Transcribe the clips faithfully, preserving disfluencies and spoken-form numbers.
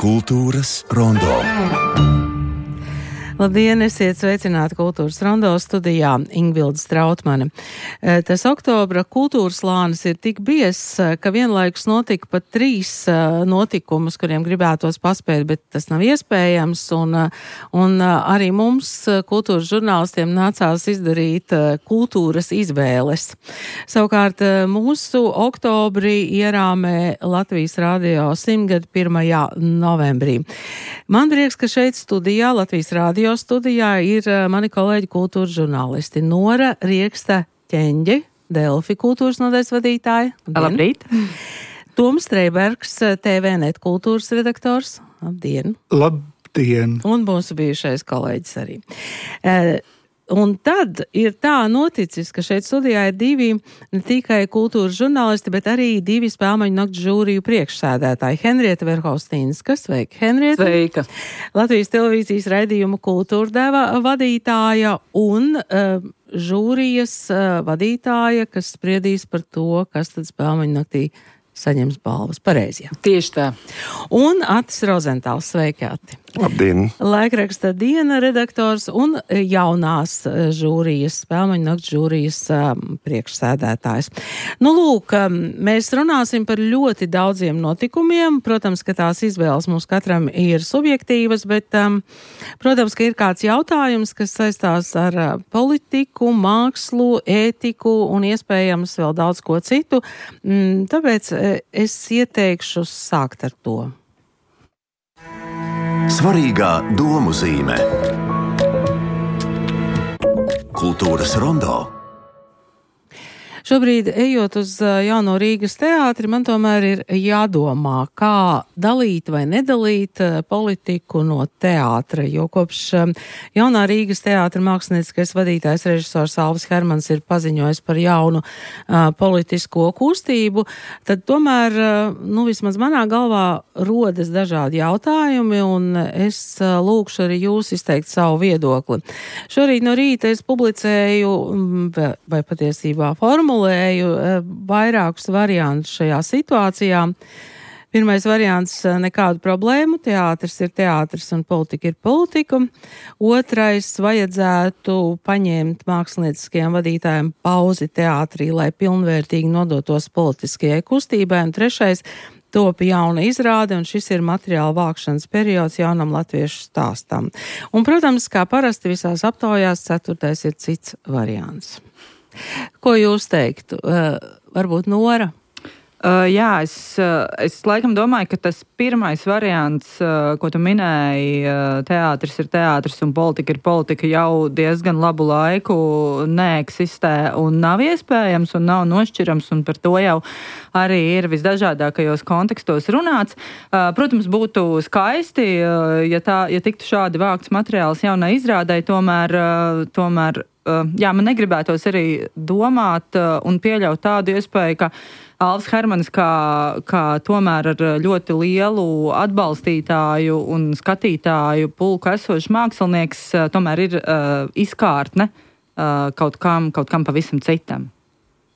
Kultūras rondo. Labdien, esiet sveicināti Kultūras rondo studijā Ingvilda Strautmane. Tas oktobra kultūras lānis ir tik biezs, ka vienlaikus notika pat trīs notikumus, kuriem gribētos paspēt, bet tas nav iespējams, un, un arī mums, kultūras žurnālistiem, nācās izdarīt kultūras izvēles. Savukārt mūsu oktobrī ierāmē Latvijas radio simtgadu pirmajā novembrī. Man prieks, ka šeit studijā, Latvijas radio studijā, ir mani kolēģi kultūras žurnālisti Nora Rieksta-Ķeņģe, Delfi kultūras nodaļas vadītāja. Labrīt! Toms Streibergs, T V net kultūras redaktors. Labdien! Labdien! Un mūsu bijušais kolēģis arī. Uh, Un tad ir tā noticis, ka šeit studijā ir divi ne tikai kultūras žurnālisti, bet arī divi spēlmaņu nakts žūriju priekšsēdētāji. Henrieta Verhofstīnska, sveika, Henrieta. Sveika. Latvijas televīzijas raidījuma kultūra deva vadītāja un uh, žūrijas uh, vadītāja, kas spriedīs par to, kas tad spēlmaņu naktī saņems balvas. Pareizi, jā. Tieši tā. Un Atis Rozentāls, sveiki, Ati. Labdien! Laikraksta Diena redaktors un jaunās žūrijas, spēlmaņu nakts žūrijas um, priekšsēdētājs. Nu, lūk, um, mēs runāsim par ļoti daudziem notikumiem. Protams, ka tās izvēles mums katram ir subjektīvas, bet, um, protams, ka ir kāds jautājums, kas saistās ar uh, politiku, mākslu, ētiku un iespējams vēl daudz ko citu. Mm, tāpēc uh, es ieteikšu sākt ar to. Svarīgā domu zīme. Kultūras rondo. Šobrīd, ejot uz Jauno Rīgas teātri, man tomēr ir jādomā, kā dalīt vai nedalīt politiku no teātra, jo kopš Jaunā Rīgas teātra mākslinieckais vadītājs režisors Alvis Hermans ir paziņojis par jaunu uh, politisko kustību, tad tomēr, uh, nu, vismaz manā galvā rodas dažādi jautājumi, un es uh, lūkšu arī jūs izteikt savu viedokli. Šorīt no rīta es publicēju, vai patiesībā formulu, vairākus variantus šajā situācijā. Pirmais variants - nekādu problēmu, teātris ir teātris un politika ir politika. Otrais - vajadzētu paņemt mākslinieckajiem vadītājiem pauzi teātrī, lai pilnvērtīgi nodotos politiskajai kustībai. Un trešais - top jauna izrāde, un šis ir materiāla vākšanas periods jaunam latviešu stāstam. Un, protams, kā parasti visās aptaujās, ceturtais ir cits variants. Ko jūs teiktu? Uh, varbūt Nora? Uh, jā, es, uh, es laikam domāju, ka tas pirmais variants, uh, ko tu minēji, uh, teātris ir teātris un politika ir politika, jau diezgan labu laiku neeksistē un nav iespējams un nav nošķirams, un par to jau arī ir visdažādākajos kontekstos runāts. Uh, protams, būtu skaisti, uh, ja, tā, ja tiktu šādi vākts materiāls jaunai izrādai, tomēr, uh, tomēr uh, jā, man negribētos arī domāt uh, un pieļaut tādu iespēju, ka Alvis Hermans kā, kā tomēr ar ļoti lielu atbalstītāju un skatītāju pulku esošs mākslinieks tomēr ir uh, izkārtne uh, kaut kam, kaut kam pavisam citam.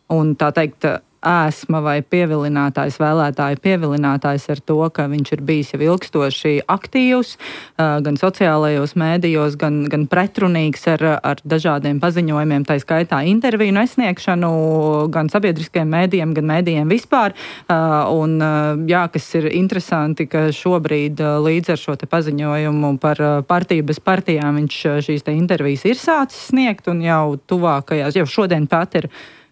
Un tā teikt, ēsma vai pievilinātājs, vēlētāja pievilinātājs ar to, ka viņš ir bijis jau ilgstoši aktīvs, gan sociālajos mēdījos, gan, gan pretrunīgs ar, ar dažādiem paziņojumiem, tā skaitā interviju nesniegšanu, gan sabiedriskajiem mēdījiem, gan mēdījiem vispār. Un jā, kas ir interesanti, ka šobrīd līdz ar šo te paziņojumu par partiju bez partijām viņš šīs te intervijas ir sācis sniegt, un jau tuvākajās, jau šodien pat ir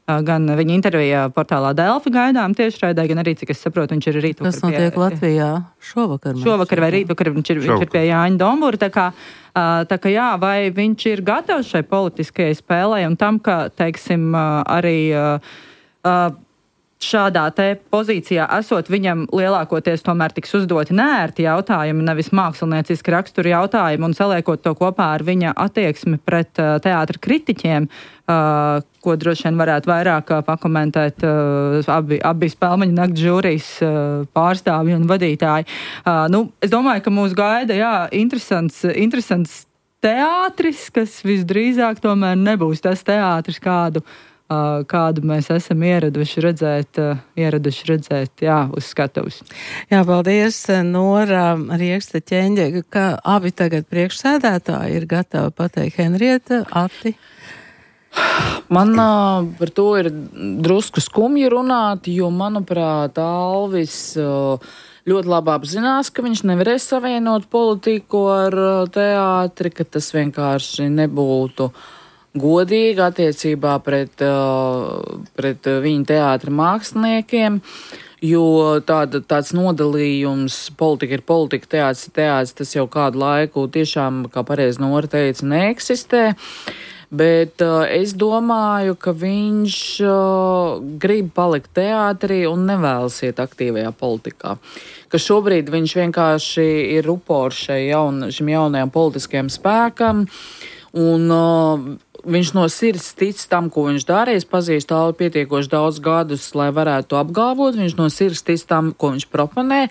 gan viņa intervijā portālā Delfi gaidām tiešraidē, gan arī, cik es saprotu, viņš ir rītvakar. Tas notiek pie, Latvijā šovakar. Šovakar vai rītvakar viņš ir, viņš ir pie Jāņa Dombura. Tā kā, tā kā jā, vai viņš ir gatavs šai politiskajai spēlē un tam, ka, teiksim, arī šādā te pozīcijā esot, viņam lielākoties tomēr tiks uzdoti neērti jautājumi, nevis mākslinieciski raksturi jautājumi, un saliekot to kopā ar viņa attieksmi pret teātra kritiķiem, Uh, ko droši vien varētu vairāk uh, pakomentēt uh, abi, abi spēlmaņu nakts žūrijas uh, pārstāvji un vadītāji. Uh, nu, es domāju, ka mūs gaida, jā, interesants, interesants teātris, kas visdrīzāk tomēr nebūs tas teātris, kādu kādu mēs esam ieraduši redzēt, ieraduši redzēt, jā, uz skatuves. Jā, paldies, Nora Riekste Ķeņģe, ka abi tagad priekšsēdētāji ir gatavi pateikt. Henrieta, Ati? Man uh, par to ir drusku skumji runāt, jo, manuprāt, Alvis uh, ļoti labi apzinās, ka viņš nevarēs savienot politiku ar uh, teātri, ka tas vienkārši nebūtu godīgi attiecībā pret, uh, pret viņa teātra māksliniekiem, jo tāda, tāds nodalījums, politika ir politika, teātris ir teātris, tas jau kādu laiku tiešām, kā pareizi Nora teica, neeksistē. Bet uh, es domāju, ka viņš uh, grib palikt teātrī un nevēlas iet aktīvajā politikā. Ka šobrīd viņš vienkārši ir upors jaun, šim jaunajam politiskajam spēkam un uh, viņš no sirds tic tam, ko viņš dara. Es pazīstu Alvi pietiekoši daudz gadus, lai varētu to apgalvot. Viņš no sirds tic tam, ko viņš proponē.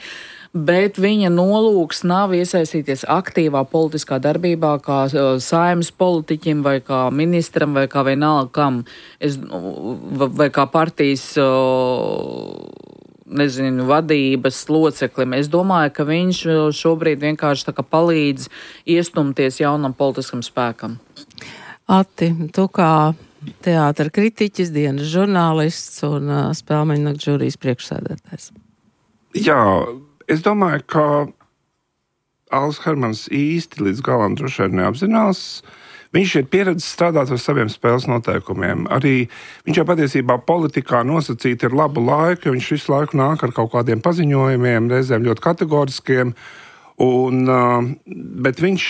Bet viņa nolūks nav iesaistīties aktīvā politiskā darbībā kā uh, saimnes politiķim vai kā ministram vai kā vienalga kam, es, vai kā partijas, uh, nezinu, vadības loceklim. Es domāju, ka viņš šobrīd vienkārši tā kā palīdz iestumties jaunam politiskam spēkam. Ati, tu kā teātra kritiķis, dienas žurnālists un uh, Spēlmeņu nakts žūrijas priekšsēdētājs. Jā, es domāju, ka Alvis Hermans īsti līdz galam droši vien neapzinās. Viņš ir pieredzējis strādāt ar saviem spēles noteikumiem. Arī viņš jau patiesībā politikā nosacīt ir labu laiku, jo viņš visu laiku nāk ar kaut kādiem paziņojumiem, reizēm ļoti kategoriskiem. Un, bet viņš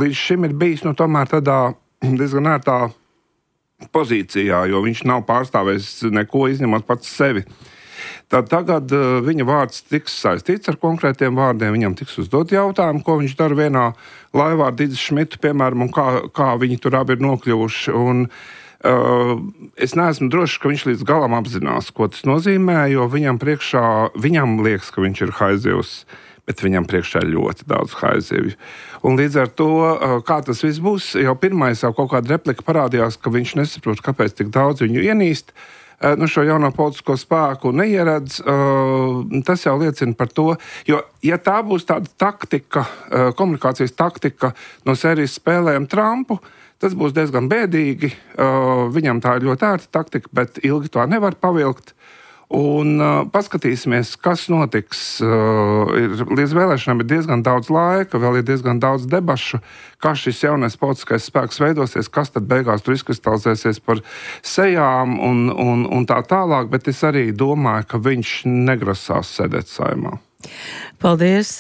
līdz šim ir bijis nu, tomēr tādā diezgan ērtā pozīcijā, jo viņš nav pārstāvējis neko izņemot pats sevi. Tad tagad uh, viņa vārds tiks saistīts ar konkrētiem vārdiem, viņam tiks uzdot jautājumu, ko viņš dara vienā laivā ar Didzi Šmitu, piemēram, un kā, kā viņi tur abi ir nokļuvuši. Un, uh, es neesmu drošs, ka viņš līdz galam apzinās, ko tas nozīmē, jo viņam priekšā, viņam liekas, ka viņš ir haizivs, bet viņam priekšā ir ļoti daudz haizivju. Un līdz ar to, uh, kā tas viss būs, jau pirmais jau kaut kāda replika parādījās, ka viņš nesaprot, kāpēc tik daudz viņu ienīst. Nu, šo jauno politisko spēku neieredz, uh, tas jau liecina par to, jo, ja tā būs tāda taktika, uh, komunikācijas taktika no sērijas spēlējam Trumpu, tas būs diezgan bēdīgi, uh, viņam tā ir ļoti ērta taktika, bet ilgi to nevar pavilkt. Un uh, paskatīsimies, kas notiks. Uh, ir, līdz vēlēšanām ir diezgan daudz laika, vēl ir diezgan daudz debašu, kā šis jaunais politiskais spēks veidosies, kas tad beigās tur izkristalizēsies par sejām un, un, un tā tālāk, bet es arī domāju, ka viņš negrasās sēdēt saimā. Paldies.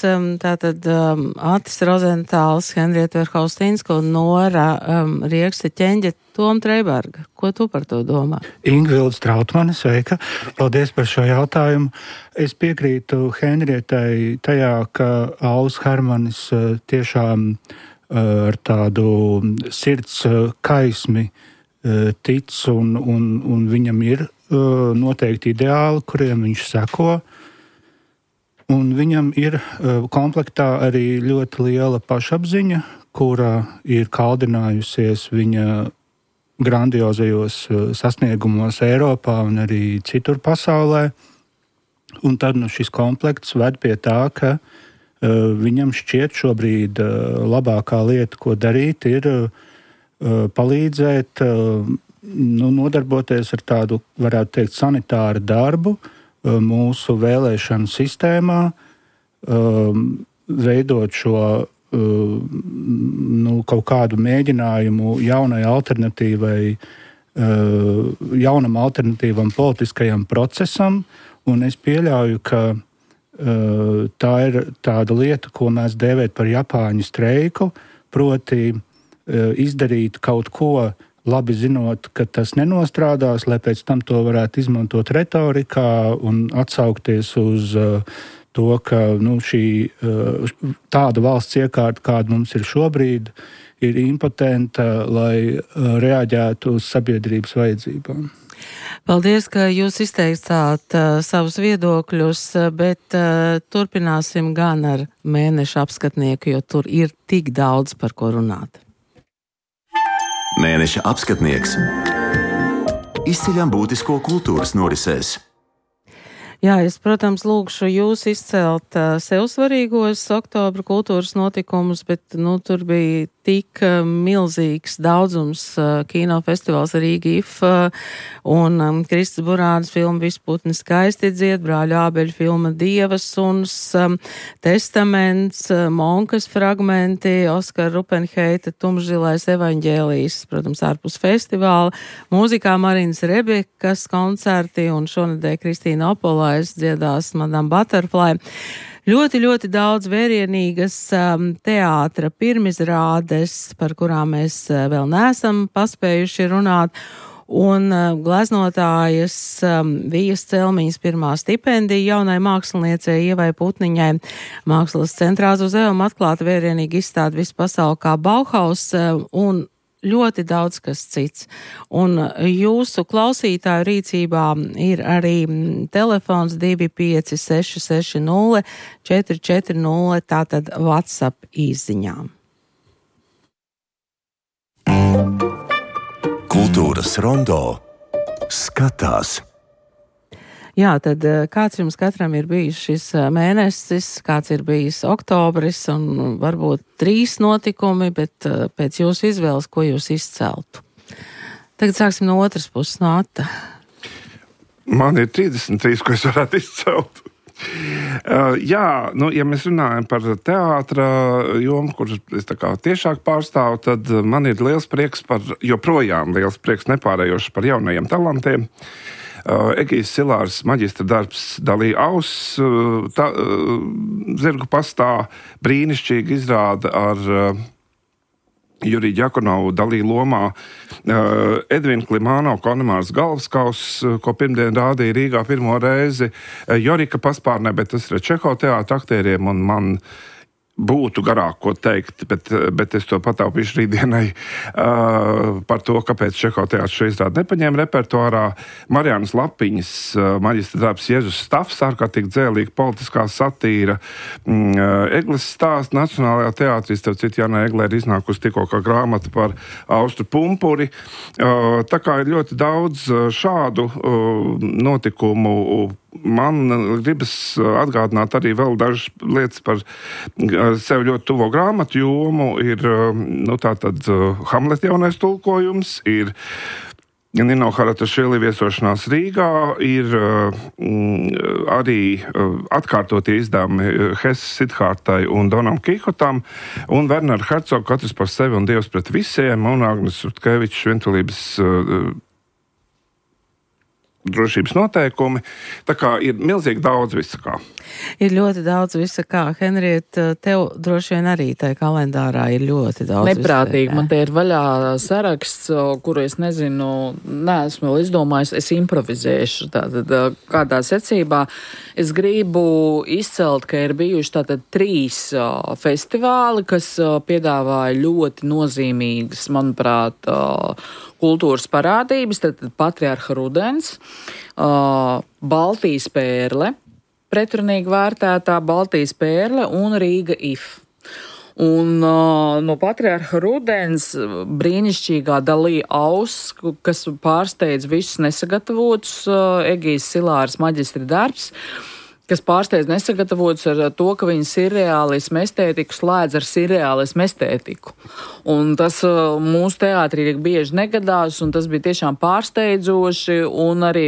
Tātad um, Atis Rozentāls, Henrieta Verhaustīnska un Nora um, Riekste Ķeņģe, Tom Treiberga. Ko tu par to domā? Ingvilda Strautmane, sveika. Paldies par šo jautājumu. Es piekrītu Henrietai tajā, ka Alvis Hermanis uh, tiešām uh, ar tādu sirds uh, kaismi uh, tic un, un, un viņam ir uh, noteikti ideāli, kuriem viņš seko. Un viņam ir uh, komplektā arī ļoti liela pašapziņa, kura ir kaldinājusies viņa grandiozajos uh, sasniegumos Eiropā un arī citur pasaulē. Un tad nu, šis komplekts ved pie tā, ka uh, viņam šķiet šobrīd uh, labākā lieta, ko darīt, ir uh, palīdzēt uh, nu, nodarboties ar tādu, varētu teikt, sanitāru darbu, mūsu vēlēšanu sistēmā, um, veidot šo um, nu, kaut kādu mēģinājumu jaunai alternatīvai, uh, jaunam alternatīvam politiskajam procesam, un es pieļauju, ka uh, tā ir tāda lieta, ko mēs dēvēt par Japāņu streiku, proti uh, izdarīt kaut ko, labi zinot, ka tas nenostrādās, lai pēc tam to varētu izmantot retorikā un atsaukties uz uh, to, ka nu, šī uh, tāda valsts iekārta, kāda mums ir šobrīd, ir impotenta, lai uh, reaģētu uz sabiedrības vajadzībām. Paldies, ka jūs izteicāt uh, savus viedokļus, bet uh, turpināsim gan ar mēneša apskatnieku, jo tur ir tik daudz par ko runāt. Mēneša apskatnieks. izceļam būtisko kultūras norisēs. Jā, es, protams, lūgšu jūs izcelt uh, sev svarīgos oktobra kultūras notikumus, bet, nu, tur bija tik uh, milzīgs daudzums uh, kinofestivāls Rīga I F uh, un um, Kristas Burānas filma Visputni skaisti dzied, Brāļu Ābeļu filma Dievas suns, um, Testaments, uh, Monkas fragmenti, Oskara Rupenheita Tumšzilais evaņģēlijs, protams, ārpus festivāla, mūzikā Marinas Rebekas koncerti un šonedēļ Kristīna Opolā dziedās Madame Butterfly. Ļoti, ļoti daudz vērienīgas um, teātra pirmizrādes, par kurām mēs uh, vēl neesam paspējuši runāt, un uh, gleznotājas um, Vijas Celmiņas pirmā stipendija jaunai māksliniecei Ievai Putniņai. Mākslas centrā uz Eum atklāta vērienīgi izstāde visu pasauli kā Bauhaus uh, un ļoti daudz kas cits. Un jūsu klausītāju rīcībā ir arī telefons divi pieci seši seši nulle četri četri nulle, tātad WhatsApp īsziņām. Kultūras rondo skatās. Jā, tad kāds jums katram ir bijis šis mēnesis, kāds ir bijis oktobris un varbūt trīs notikumi, bet pēc jūsu izvēles, ko jūs izceltu? Tagad sāksim no otras puses, no Ata. Man ir trīsdesmit trīs, ko es varētu izcelt. Uh, jā, nu, ja mēs runājam par teātra jomu, kur es tā kā tiešāk pārstāvu, tad man ir liels prieks par, joprojām liels prieks nepārējoši par jaunajiem talantiem. Uh, Egijs Silārs maģistra darbs Dalī Auss, uh, ta, uh, Zirgu pastā brīnišķīgi izrāda ar uh, Juriju Ďakonovu Dalī lomā, uh, Edvina Klimāno Konemārs galvaskauss, uh, ko pirmdien rādīja Rīgā pirmo reizi, uh, Jorika paspārnē, bet tas ir Čeho teātra aktieriem, un man būtu garāk ko teikt, bet, bet es to pataupīšu rītdienai uh, par to, kāpēc Čeho teātris šo izrādi nepaņēma repertuārā. Marianas Lapiņas uh, maģistra darbs Jēzus Stafs, ārkārtīgi dzēlīga politiskā satīra. Mm, uh, Egles stāsts Nacionālajā teātrī, starp citu, Jāna Eglē ir iznākusi tikko kā grāmata par Austru pumpuri. Uh, tā kā ir ļoti daudz šādu uh, notikumu. Man gribas atgādināt arī vēl dažas lietas par sev ļoti tuvo grāmatu jomu. Ir, nu, tātad Hamlet jaunais tulkojums, ir Nino Haratašvili viesošanās Rīgā, ir mm, arī atkārtotie izdevumi Hesas Sidhārtai un Donam Kīhotam, un Wernera Hercoga Katrs par sevi un Dievs pret visiem, un Agnes Rutkevičs Vientulības drošības noteikumi. Tā kā ir milzīgi daudz visakā. Ir ļoti daudz visakā. Henrieta, tev droši vien arī tajā kalendārā ir ļoti daudz. Neprātīgi. Man te ir vaļā saraksts, kuru es nezinu, neesmu vēl izdomājis, es improvizēšu. Tātad kādā secībā es gribu izcelt, ka ir bijuši tātad trīs festivāli, kas piedāvāja ļoti nozīmīgas, manuprāt, kultūras parādības, tad Patriarha rudens, uh, Baltijas pērle, pretrunīgi vērtētā Baltijas pērle un Rīga I F. Un uh, no Patriarha rudens brīnišķīgā Dalī Auss, kas pārsteidz visus nesagatavotus, uh, Egijs Silārs maģistra darbs, kas pārsteidz nesagatavots ar to, ka viņa sirreālismu estētiku slēdz ar sirreālismu estētiku. Un tas uh, mūsu teātrī bieži negadās, un tas bija tiešām pārsteidzoši, un arī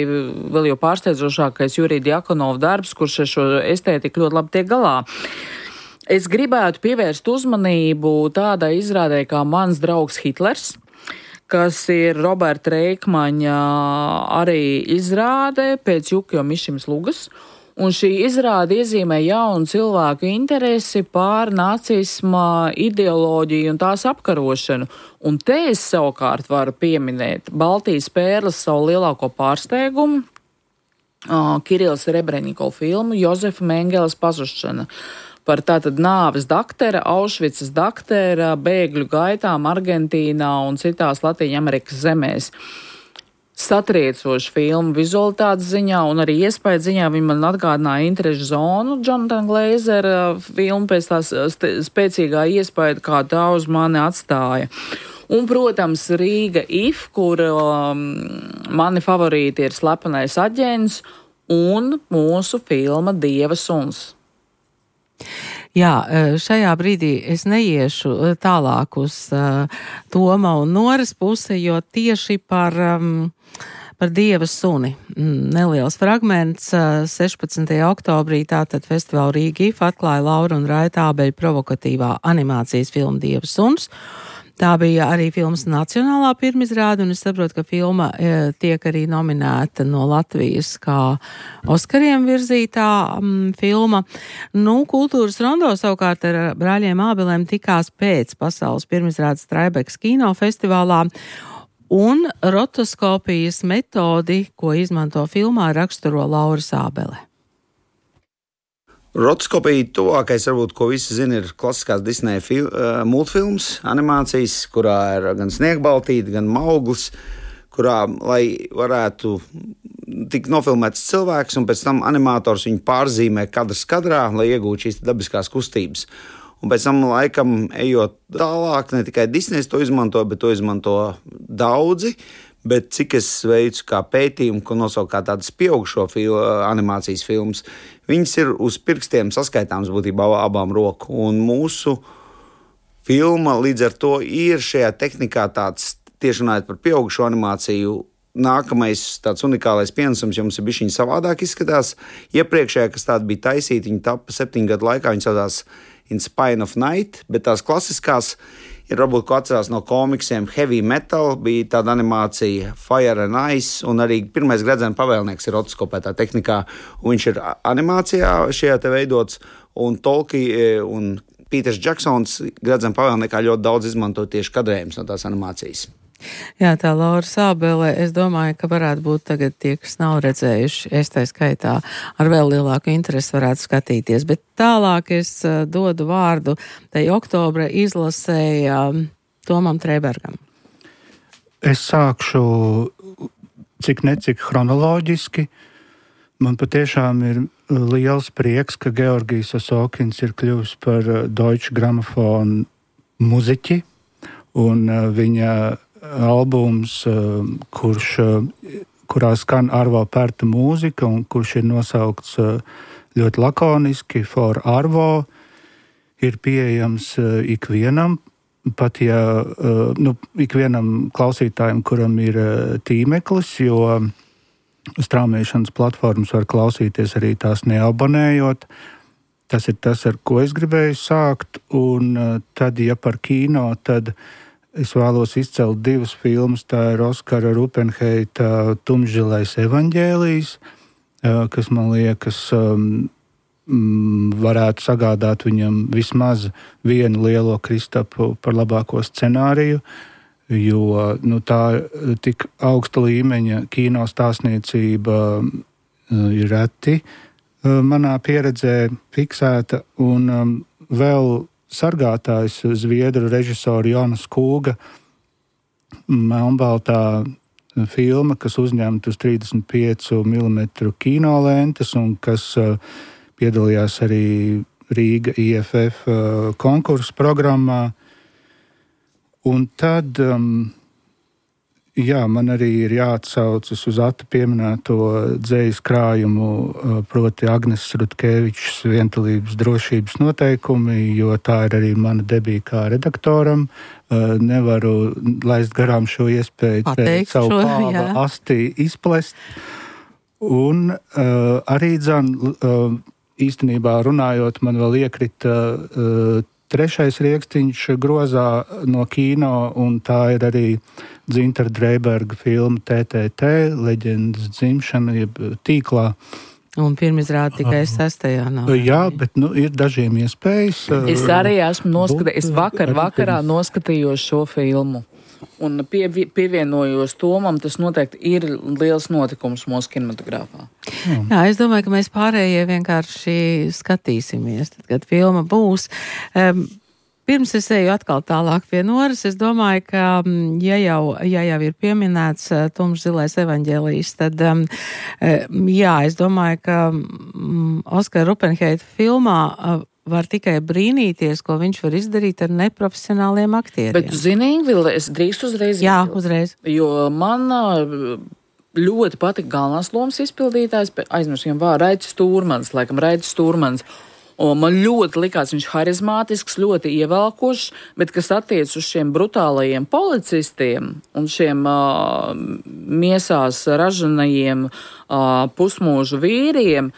vēl jau pārsteidzošākais Jurija Ďakonova darbs, kurš ar šo estētiku ļoti labi tiek galā. Es gribētu pievērst uzmanību tādai izrādē kā Mans draugs Hitlers, kas ir Roberta Reikmaņa arī izrāde pēc Jukio Mišims Lugas. Un šī izrāde iezīmē jaunu cilvēku interesi pār nacisma ideoloģiju un tās apkarošanu. Un te es savukārt varu pieminēt Baltijas pērles savu lielāko pārsteigumu, uh, Kirils Rebreņikov filmu Jozefa Mengeles pazušana par tātad nāves daktera, Aušvicas daktera, bēgļu gaitām Argentīnā un citās Latīņa Amerikas zemēs. Satriecoša filma vizualitātes ziņā un arī iespēja ziņā. Viņa man atgādināja Interešu zonu, Jonathan Glazera filmu pēc tās spēcīgā iespēja, kā tā uz mani atstāja. Un, protams, Rīga if, kur um, mani favorīti ir Slepenais aģents un mūsu filma Dieva suns. Jā, šajā brīdī es neiešu tālāk uz uh, Toma un Noras pusi, jo tieši par, um, par Dieva suni. Neliels fragments uh, sešpadsmitajā oktobrī tātad festivāla Rīga if atklāja Laura un Raita Ābeļa provokatīvā animācijas filma Dieva suns. Tā bija arī filmas nacionālā pirmizrāde, un es saprotu, ka filma e, tiek arī nominēta no Latvijas kā Oskariem virzītā m, filma. Nu, Kultūras rondo savukārt ar brāļiem Ābelēm tikās pēc pasaules pirmizrādes Traibekas kinofestivālā, un rotoskopijas metodi, ko izmanto filmā, raksturo Laura Ābele. Rotoskopija tuvākais, varbūt, ko visi zina, ir klasiskās Disneja fil, uh, multfilms, animācijas, kurā ir gan sniegbaltīte, gan mauglis, kurā, lai varētu tikt nofilmēts cilvēks, un pēc tam animators viņu pārzīmē kadrs kadrā, lai iegūtu šīs dabiskās kustības. Un pēc tam, laikam, ejot tālāk, ne tikai Disnejs to izmanto, bet to izmanto daudzi. Bet cik es veicu kā pētījumu, ko nosauku kā tādas pieaugušo fil, animācijas filmas, viņas ir uz pirkstiem saskaitāms būtībā abām roku. Un mūsu filma līdz ar to ir šajā tehnikā tāds, tieši runājot par pieaugušo animāciju, nākamais tāds unikālais pienesums, jo mums ir bišķiņi savādāk izskatās. Iepriekšējā, kas tāda bija taisīta, viņa tapa septiņu gadu laikā, viņa saucās In Spine of Night, bet tās klasiskās ir varbūt, ko atcerās no komiksiem, Heavy Metal, bija tāda animācija Fire and Ice, un arī pirmais Gredzena pavēlnieks ir rotoskopētā tehnikā, un viņš ir animācijā šajā te veidots, un Tolkien un Pīters Džeksons Gredzena pavēlniekā ļoti daudz izmanto tieši kadrējums no tās animācijas. Jā, tā Laura Ābele, es domāju, ka varētu būt tagad tie, kas nav redzējuši, es tā skaitā ar vēl lielāku interesi varētu skatīties, bet tālāk es uh, dodu vārdu tai oktobra izlasēja um, Tomam Trēbergam. Es sākšu cik necik chronoloģiski. Man patiešām ir liels prieks, ka Georgijs Osokins ir kļuvis par Deutsche Grammophon muziķi, un uh, viņa albums, kurš, kurā skan Arvo Pērta mūzika un kurš ir nosaukts ļoti lakoniski For Arvo, ir pieejams ikvienam, pat ja nu, ikvienam klausītājam, kuram ir tīmeklis, jo straumēšanas platformas var klausīties arī tās neabonējot. Tas ir tas, ar ko es gribēju sākt, un tad, ja par kino, tad es vēlos izcelt divas filmas. Tā ir Oskara Rupenheita Tumšzilais evaņģēlijs, kas, man liekas, varētu sagādāt viņam vismaz vienu lielo Kristapu par labāko scenāriju, jo nu, tā tik augsta līmeņa kino stāstniecība ir reti manā pieredzē fiksēta, un vēl sargātājs zviedru režisoru Jonas Kūga melnbaltā filma, kas uzņemta uz trīsdesmit pieci milimetru kinolentes un kas uh, piedalījās arī Rīga I F F uh, konkursu programmā. Un tad, um, jā, man arī ir jāatsaucas uz Ata pieminēto dzejas krājumu, uh, proti Agnes Rutkevičs Vientulības drošības noteikumi, jo tā ir arī mana debija kā redaktoram. Uh, nevaru laist garām šo iespēju Pateikt savu šo, pāva jā. asti izplest. Un uh, arī dzan, uh, īstenībā runājot, man vēl iekrita uh, trešais riekstiņš grozā no kino, un tā ir arī Dzintara Dreiberga filma T T T, leģendas dzimšana, jeb tīklā. Un pirmizrāda tikai sestajā nav. Jā, bet nu, ir dažiem iespējas. Es arī esmu noskatījis, es vakar vakarā noskatījos šo filmu. Un pie, pievienojos Tomam, tas noteikti ir liels notikums mūsu kinematogrāfā. Hmm. Jā, es domāju, ka mēs pārējie vienkārši skatīsimies, tad, kad filma būs. Um, Pirms es eju atkal tālāk pie Noras, es domāju, ka, ja jau, ja jau ir pieminēts Tumšzilais evaņģēlijs, tad, um, jā, es domāju, ka um, Oskara Rupenheita filmā uh, var tikai brīnīties, ko viņš var izdarīt ar neprofesionāliem aktieriem. Bet, zini, Ingvila, es drīkst uzreiz. Jā, iebilst. uzreiz. Jo man ļoti patika galvenās lomas izpildītājs, aizmirsu, vārdu Raidis Stūrmans, laikam Raidis Stūrmans. Un man ļoti likās viņš harizmātisks, ļoti ievelkošs, bet kas attiec uz šiem brutālajiem policistiem un šiem uh, miesās ražanajiem uh, pusmūžu vīriem,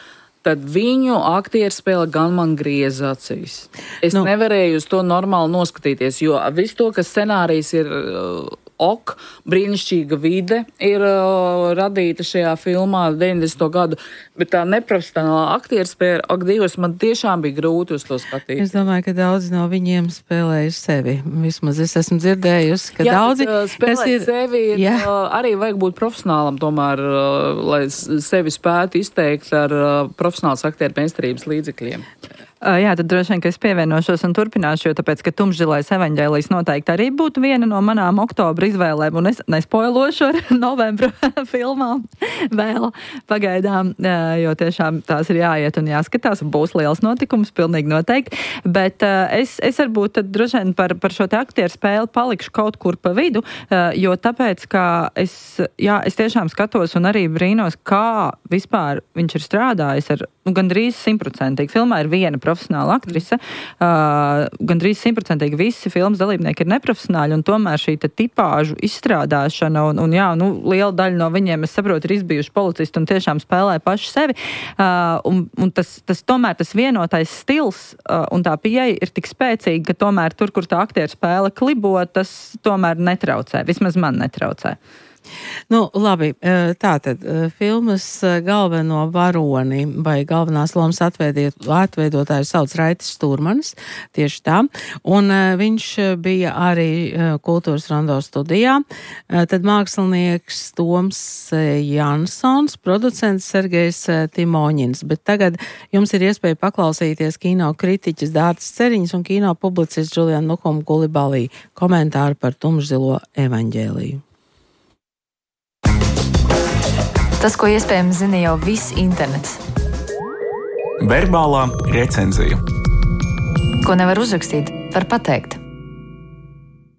tad viņu aktierspēle gan man grieza acīs. Es nu. nevarēju uz to normāli noskatīties, jo visu to, kas scenārijs ir uh, ok, brīnišķīga vide ir uh, radīta šajā filmā deviņdesmito gadu, bet tā neprofesionālā aktierspēle, ak, Dievs, man tiešām bija grūti uz to skatīties. Es domāju, ka daudzi no viņiem spēlēja sevi. Vismaz es esmu dzirdējusi, ka jā, daudzi, bet, uh, spēlēt kas ir... sevi, ir, jā. uh, arī vajag būt profesionālam tomēr, uh, lai sevi spētu izteikt ar uh, profesionāls aktieru meistarības līdzekļiem. Jā, tad droši vien, ka es pievienošos un turpināšu, jo tāpēc, ka Tumšzilais evaņģēlijs noteikti arī būtu viena no manām oktobra izvēlēm, un es nespoilošu ar novembra filmām vēl pagaidām, jo tiešām tās ir jāiet un jāskatās, būs liels notikums, pilnīgi noteikti, bet es, es varbūt tad droši vien par, par šo te aktieru spēli palikšu kaut kur pa vidu, jo tāpēc, ka es, jā, es tiešām skatos un arī brīnos, kā vispār viņš ir strādājis ar, nu, gandrīz simtprocentīgi. Filmā ir viena profesionāla aktrise, uh, gandrīz simtprocentīgi visi filmas dalībnieki ir neprofesionāļi, un tomēr šī tipāžu izstrādāšana, un, un jā, nu, liela daļa no viņiem, es saprotu, ir izbijuši policisti un tiešām spēlē paši sevi, uh, un, un tas, tas tomēr tas vienotais stils uh, un tā pieeja ir tik spēcīga, ka tomēr tur, kur tā aktieru spēle klibo, tas tomēr netraucē, vismaz man netraucē. Nu, labi, tātad filmas galveno varoni vai galvenās lomas atveidotāju sauc Raidis Stūrmanis, tieši tā, un viņš bija arī Kultūras Rondo studijā, tad mākslinieks Toms Jansons, producents Sergejs Timoņins, bet tagad jums ir iespēja paklausīties kino kritiķis Dārtas Ceriņas un kino publicists Juliana Nuhuma Kulibalī komentāru par Tumšzilo evaņģēliju. Tas, ko iespējams zina jau viss internets. Verbālā recenzija. Ko nevar uzrakstīt, var pateikt.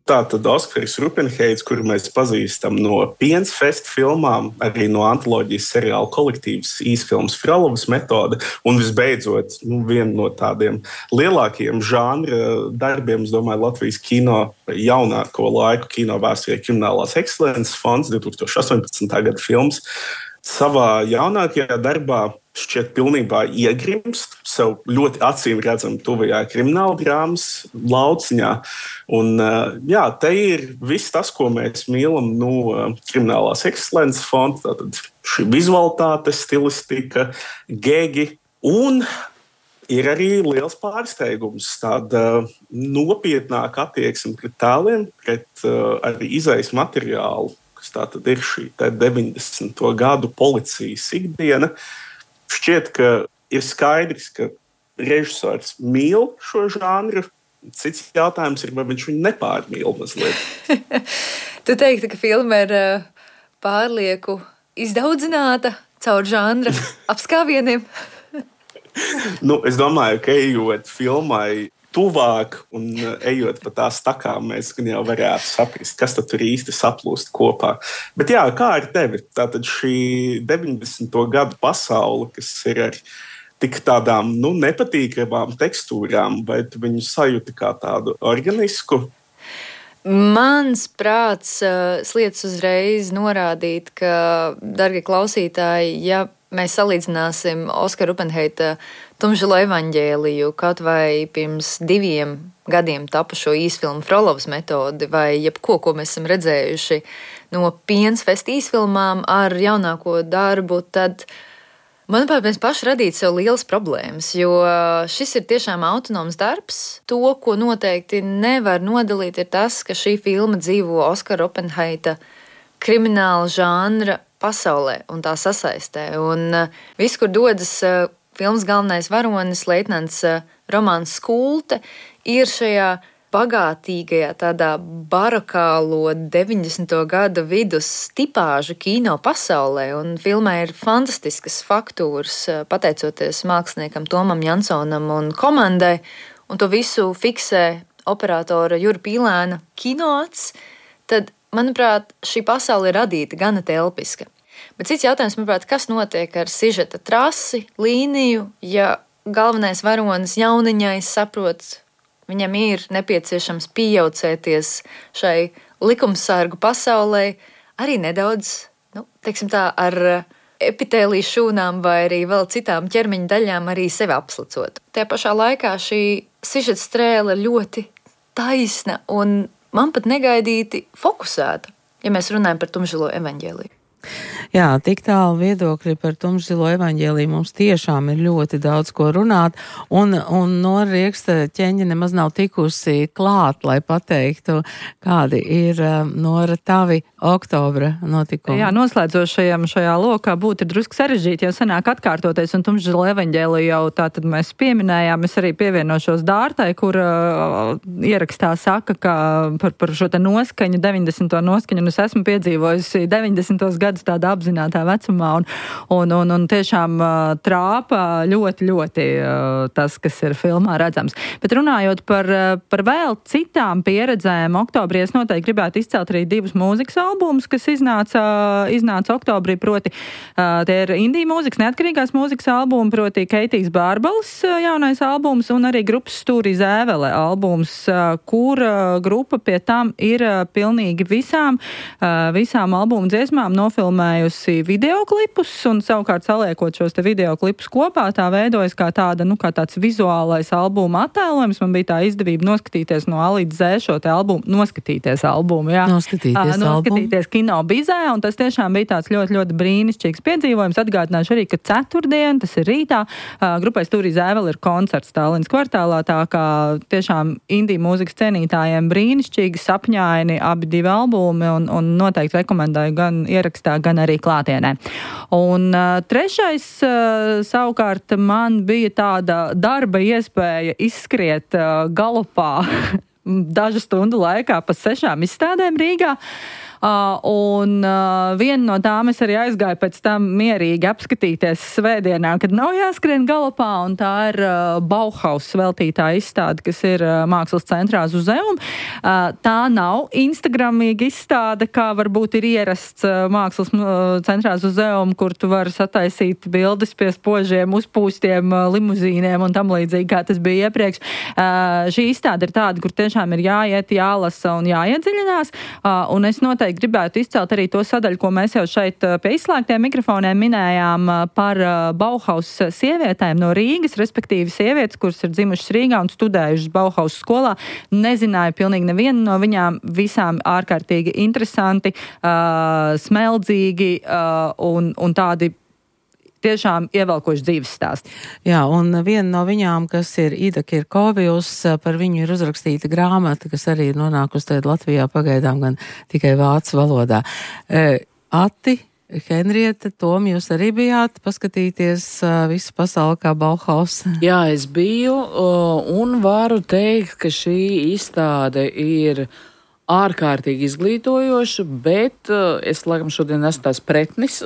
Tātad Oskaris Rupenheits, kuru mēs pazīstam no Piensfest filmām, arī no antoloģijas seriāla kolektīvas īsfilmas Frolovas metode, un visbeidzot, nu, viena no tādiem lielākajiem žanra darbiem, es domāju, Latvijas kino jaunāko laiku kino vēsturē Kriminālās ekscelences fonds, divtūkstoš astoņpadsmitā gada films, savā jaunākajā darbā šķiet pilnībā iegrimst sev ļoti acīm redzam tuvajā krimināla drāmas lauciņā. Un, jā, te ir viss tas, ko mēs mīlam no Kriminālās ekscelences fonda, tātad šī vizualitāte, stilistika, gegi, un ir arī liels pārsteigums, tāda nopietnāka attieksme pret tēliem, pret uh, arī izejas materiālu, kas tātad ir šī deviņdesmito gadu policijas ikdiena. Šķiet, ka ir skaidrs, ka režisors mīl šo žanru. Cits jautājums ir, vai viņš viņu nepārmīl mazliet. Tu teiktu, ka filma ir pārlieku izdaudzināta caur žanra apskāvieniem? Nu, es domāju, ka ejot filmai tuvāk un ejot pa tās takām, mēs gan jau varētu saprast, kas tad tur īsti saplūst kopā. Bet jā, kā ar tevi? Tātad šī deviņdesmito gadu pasaule, kas ir ar tik tādām, nu, nepatīkamām tekstūrām, vai tu viņu sajūti kā tādu organisku? Mans prāts uh, sliedz uzreiz norādīt, ka, dargie klausītāji, ja mēs salīdzināsim Oskara Rupenheita Tumšzilo evaņģēliju kaut vai pirms diviem gadiem tapušo īsfilmu Frolovas metodi vai jebko, ko mēs esam redzējuši no Piensfest īsfilmām ar jaunāko darbu, tad, manuprāt, mēs paši radītu sev lielas problēmas, jo šis ir tiešām autonoms darbs. To, ko noteikti nevar nodalīt, ir tas, ka šī filma dzīvo Oskara Rupenheita krimināla žanra pasaulē un tā sasaistē. Un viss, kur dodas filmas galvenais varonis, leitnants Romāns Skulte, ir šajā bagātīgajā tādā barokālo deviņdesmito gadu vidus tipāžu kino pasaulē, un filmē ir fantastiskas faktūras, pateicoties māksliniekam Tomam Jansonam un komandai, un to visu fiksē operatora Jura Pīlēna kinoats, tad, manuprāt, šī pasaule ir radīta gana telpiska. Bet cits jautājums, manuprāt, kas notiek ar sižeta trasi, līniju, ja galvenais varonis jauniņais saprot, viņam ir nepieciešams pieaucēties šai likumsargu pasaulē, arī nedaudz, nu, teiksim tā, ar epitēliju šūnām vai arī vēl citām ķermeņa daļām arī sevi apslicot. Tajā pašā laikā šī sižeta strēle ļoti taisna un man pat negaidīti fokusēta, ja mēs runājam par tumšzilo evaņģēliju. Jā, tik tālu viedokļi par tumšzilo evaņģēliju mums tiešām ir ļoti daudz ko runāt, un, un Nora Rieksta ķeņa nemaz nav tikusi klāt, lai pateiktu, kādi ir, Nora, tavi oktobra notikumi. Jā, noslēdzošajam šajā lokā būtu ir drusku sarežģīti, jau sanāk atkārtoties, un tumšzilo evaņģēliju jau tā tad mēs pieminējām, es arī pievienošos Dārtai, kur uh, ierakstā saka, ka par, par šo te noskaņu, deviņdesmito noskaņu, un es esmu piedzīvojusi deviņdesmitos gadus tādā apzinātā vecumā, un, un, un, un tiešām uh, trāpa ļoti, ļoti uh, tas, kas ir filmā redzams. Bet runājot par, uh, par vēl citām pieredzēm, oktobrī es noteikti gribētu izcelt arī divus mūzikas albumus, kas iznāca, uh, iznāca oktobrī, proti uh, tie ir indija mūzikas, neatkarīgās mūzikas albumi, proti Keitijas Bārbalis uh, jaunais albums un arī grupas Stūrī Zēvele albums, uh, kur uh, grupa pie tam ir uh, pilnīgi visām, uh, visām albumu dziesmām nofilmējusi videoklipus, un savukārt saliekot šos te videoklipus kopā, tā veidojas kā tāda, nu, kā tāds vizuālais albuma attēlojums. Man bija tā izdevība noskatīties no A līdz Z šo te albumu, noskatīties albumu, jā. Noskatīties, uh, noskatīties kino bizē, un tas tiešām bija tāds ļoti, ļoti brīnišķīgs piedzīvojums. Atgādināšu arī, ka ceturtdien, tas ir rītā, uh, grupai Stūrī Zēvele ir koncerts Tallinas kvartālā, tā kā tiešām indija mūzikas cienītājiem brīnišķīgi sapņaini abi divi albumi, un, un noteikti rekomendēju gan ierakstā, gan arī klātienē. Un uh, trešais uh, savukārt man bija tāda darba iespēja izskriet uh, galopā dažu stundu laikā pa sešām izstādēm Rīgā. Uh, un uh, viena no tām es arī aizgāju pēc tam mierīgi apskatīties svētdienā, kad nav jāskrien galopā, un tā ir uh, Bauhaus veltītā izstāde, kas ir uh, Mākslas centrā Zuzeum. Uh, tā nav instagramīga izstāde, kā varbūt ir ierasts uh, Mākslas uh, centrā Zuzeum, kur tu vari sataisīt bildes pie spožiem, uzpūstiem uh, limuzīniem un tam līdzīgi, kā tas bija iepriekš. Uh, šī izstāde ir tāda, kur tiešām ir jāiet, jālasa un jāiedziļinās, uh, un es noteikti gribētu izcelt arī to sadaļu, ko mēs jau šeit pie izslēgtiem mikrofoniem minējām par Bauhaus sievietēm no Rīgas, respektīvi sievietes, kuras ir dzimušas Rīgā un studējušas Bauhaus skolā. Nezināju pilnīgi nevienu no viņām, visām ārkārtīgi interesanti, uh, smeldzīgi uh, un, un tādi tiešām ievelkoši dzīves stāsti. Jā, un viena no viņām, kas ir Ida Kirkovijus, par viņu ir uzrakstīta grāmata, kas arī ir nonākusi tagad Latvijā pagaidām gan tikai vācu valodā. E, Ati, Henrieta, Tom, jūs arī bijāt paskatīties uh, visu pasauli kā Bauhaus? Jā, es biju, uh, un varu teikt, ka šī izstāde ir ārkārtīgi izglītojoša, bet uh, es, laikam, šodien esmu tās pretnis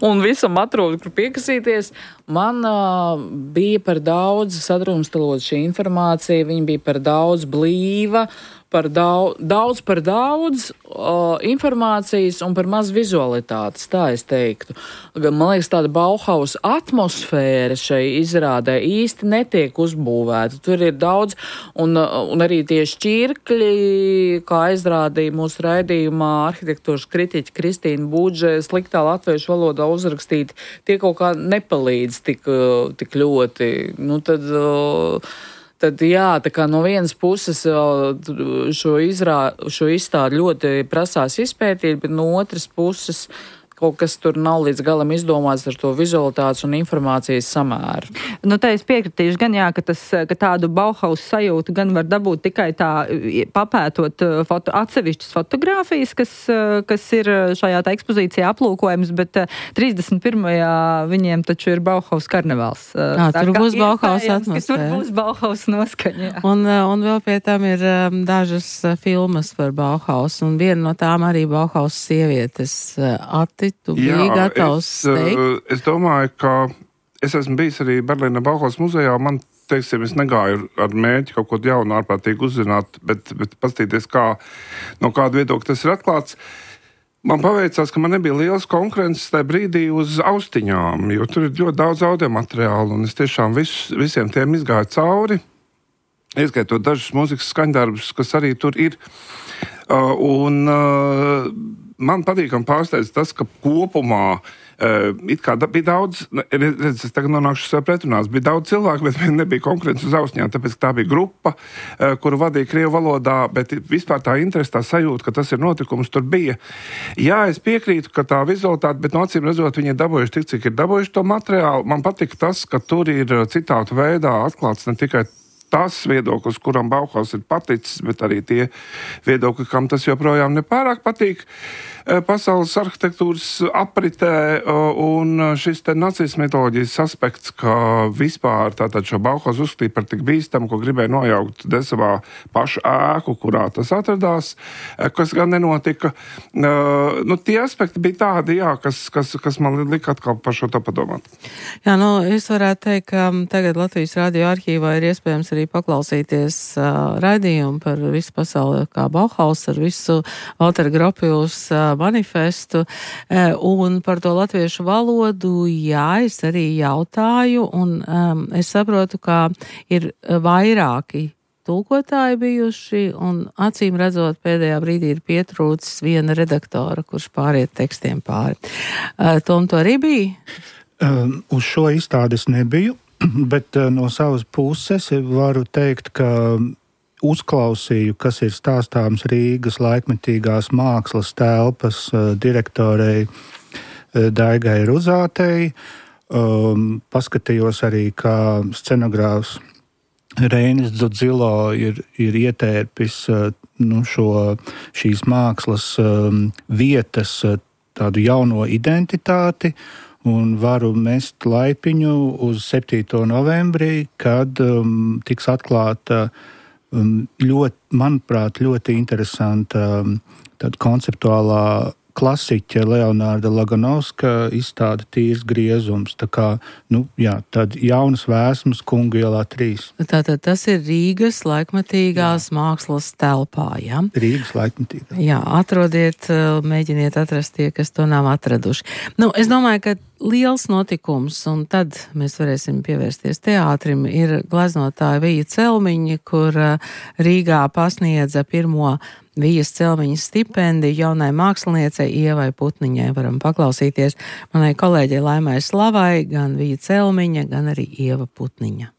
un visam atrodu, kur piekasīties. Man uh, bija par daudz sadrumstalot šī informācija, viņa bija par daudz blīva, par daudz, daudz par daudz uh, informācijas un par maz vizualitātes, tā es teiktu. Man liekas, tāda Bauhaus atmosfēra šai izrādē īsti netiek uzbūvēta. Tur ir daudz, un, un arī tie šķirkļi, kā aizrādīja mūsu raidījumā arhitektūras kritiķa Kristīna Budže, sliktā latviešu valodā uzrakstīti, tie kaut kā nepalīdz tik, tik ļoti. Nu, tad... Uh, Tad jā, tā kā no vienas puses šo, izrā, šo izstādi ļoti prasās izpētīt, bet no otras puses kaut kas tur nav līdz galam izdomāts ar to vizualitātes un informācijas samēru. Nu, tā es piekritīšu gan jā, ka, tas, ka tādu Bauhaus sajūtu gan var dabūt tikai tā papētot foto, atsevišķas fotogrāfijas, kas, kas ir šajā tā ekspozīcijā aplūkojums, bet trīsdesmit pirmajā viņiem taču ir Bauhaus karnevāls. Jā, tur būs Bauhaus atmosfēra. Tur būs Bauhaus noskaņa. Jā. Un, un vēl pie tam ir um, dažas filmas par Bauhaus, un viena no tām arī Bauhaus sievietes. Ati, tu biji gatavs teikt? Es domāju, ka es esmu bijis arī Berlīnē Bauhaus muzejā, man, teiksim, es negāju ar mērķi kaut ko jaunu ārprātīgi uzzināt, bet, bet pastīties, kā, no kāda viedokļa tas ir atklāts. Man paveicās, ka man nebija liels konkurences tajā brīdī uz austiņām, jo tur ir ļoti daudz audio materiālu, un es tiešām vis, visiem tiem izgāju cauri, ieskaitot dažus mūzikas skaņdarbus, kas arī tur ir. Uh, un uh, man patīkam pārsteidz tas, ka kopumā uh, it kā da, bija daudz, redz, es tagad nonākšu sev pretrunās, bija daudz cilvēku, bet nebija konkurence uz austiņām, tāpēc tā bija grupa, uh, kuru vadīja krievu valodā, bet vispār tā interese, tā sajūta, ka tas ir notikums, tur bija. Jā, es piekrītu, ka tā vizualitāte, bet no acīm redzot, viņi ir dabūjuši tik, cik ir dabūjuši to materiālu. Man patika tas, ka tur ir citātu veidā atklāts ne tikai tas viedoklis, kuram Bauhaus ir paticis, bet arī tie viedokļi, kam tas joprojām nepārāk patīk pasaules arhitektūras apritē, un šis te nacisma mitoloģijas aspekts, ka vispār tātad šo Bauhaus uzskatīja par tik bīstamu, ko gribēja nojaukt Desavā pašu ēku, kurā tas atradās, kas gan nenotika. Nu, tie aspekti bija tādi, jā, kas, kas, kas man lika atkal par šo to padomāt. Jā, nu, es varētu teikt, ka tagad Latvijas radio arhīvā ir iespējams arī paklausīties uh, raidījumu par visu pasauli kā Bauhaus, ar visu Walter Gropius uh, manifestu, uh, un par to latviešu valodu, jā, es arī jautāju, un um, es saprotu, ka ir vairāki tulkotāji bijuši, un acīm redzot pēdējā brīdī ir pietrūcis viena redaktora, kurš pāriet tekstiem pāri. Uh, Tom, to arī bija? Um, uz šo izstādes nebiju, bet uh, no savas puses varu teikt, ka uzklausīju, kas ir stāstāms Rīgas laikmetīgās mākslas telpas uh, direktorei uh, Daigai Ruzātei. Um, paskatījos arī, kā scenogrāfs Reinis Dzudzilo ir, ir ietērpis uh, nu, šo, šīs mākslas um, vietas uh, tādu jauno identitāti, un varu mest laipiņu uz septīto novembrī, kad um, tiks atklāta um, ļoti, manuprāt, ļoti interesanta um, tāda konceptuālā klasiķa Leonārda Laganovska izstāde Tīrs griezums. Tā kā, nu, jā, tad jaunas vēsmas Kungu ielā trīs. Tātad tas ir Rīgas laikmetīgās jā. Mākslas telpā, jā? Rīgas laikmetīgā. Jā, atrodiet, mēģiniet atrast tie, kas to nav atraduši. Nu, es domāju, ka liels notikums, un tad mēs varēsim pievērsties teātrim, ir gleznotāja Vija Celmiņa, kur Rīgā pasniedza pirmo Vijas Celmiņa stipendiju jaunai māksliniecei Ievai Putniņai. Varam paklausīties manai kolēģei Laimai Slavai, gan Vija Celmiņa, gan arī Ieva Putniņa.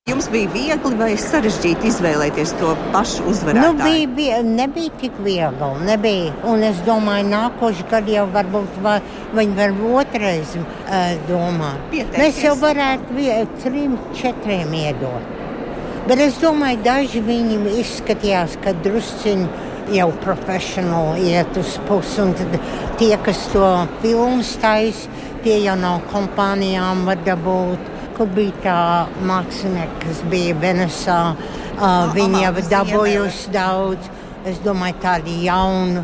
Jums bija viegli vai sarežģīti izvēlēties to pašu uzvarētāju? Nu, bija, bija, nebija tik viegli, nebija. Un es domāju, nākošu gadu jau varbūt va, viņi var otrais uh, domāt. Pieteikties. Mēs jau varētu vie, trim, četriem iedot. Bet es domāju, daži viņi izskatījās, ka drusciņi jau profesionāli iet uz pusi, un tad tie, kas to filmas taisa, tie jau no kompānijām var dabūt. Kur bija tā mākslinieka, kas bija Venesā, uh, viņi jau dabūjusi daudz. Es domāju, tādi jauni,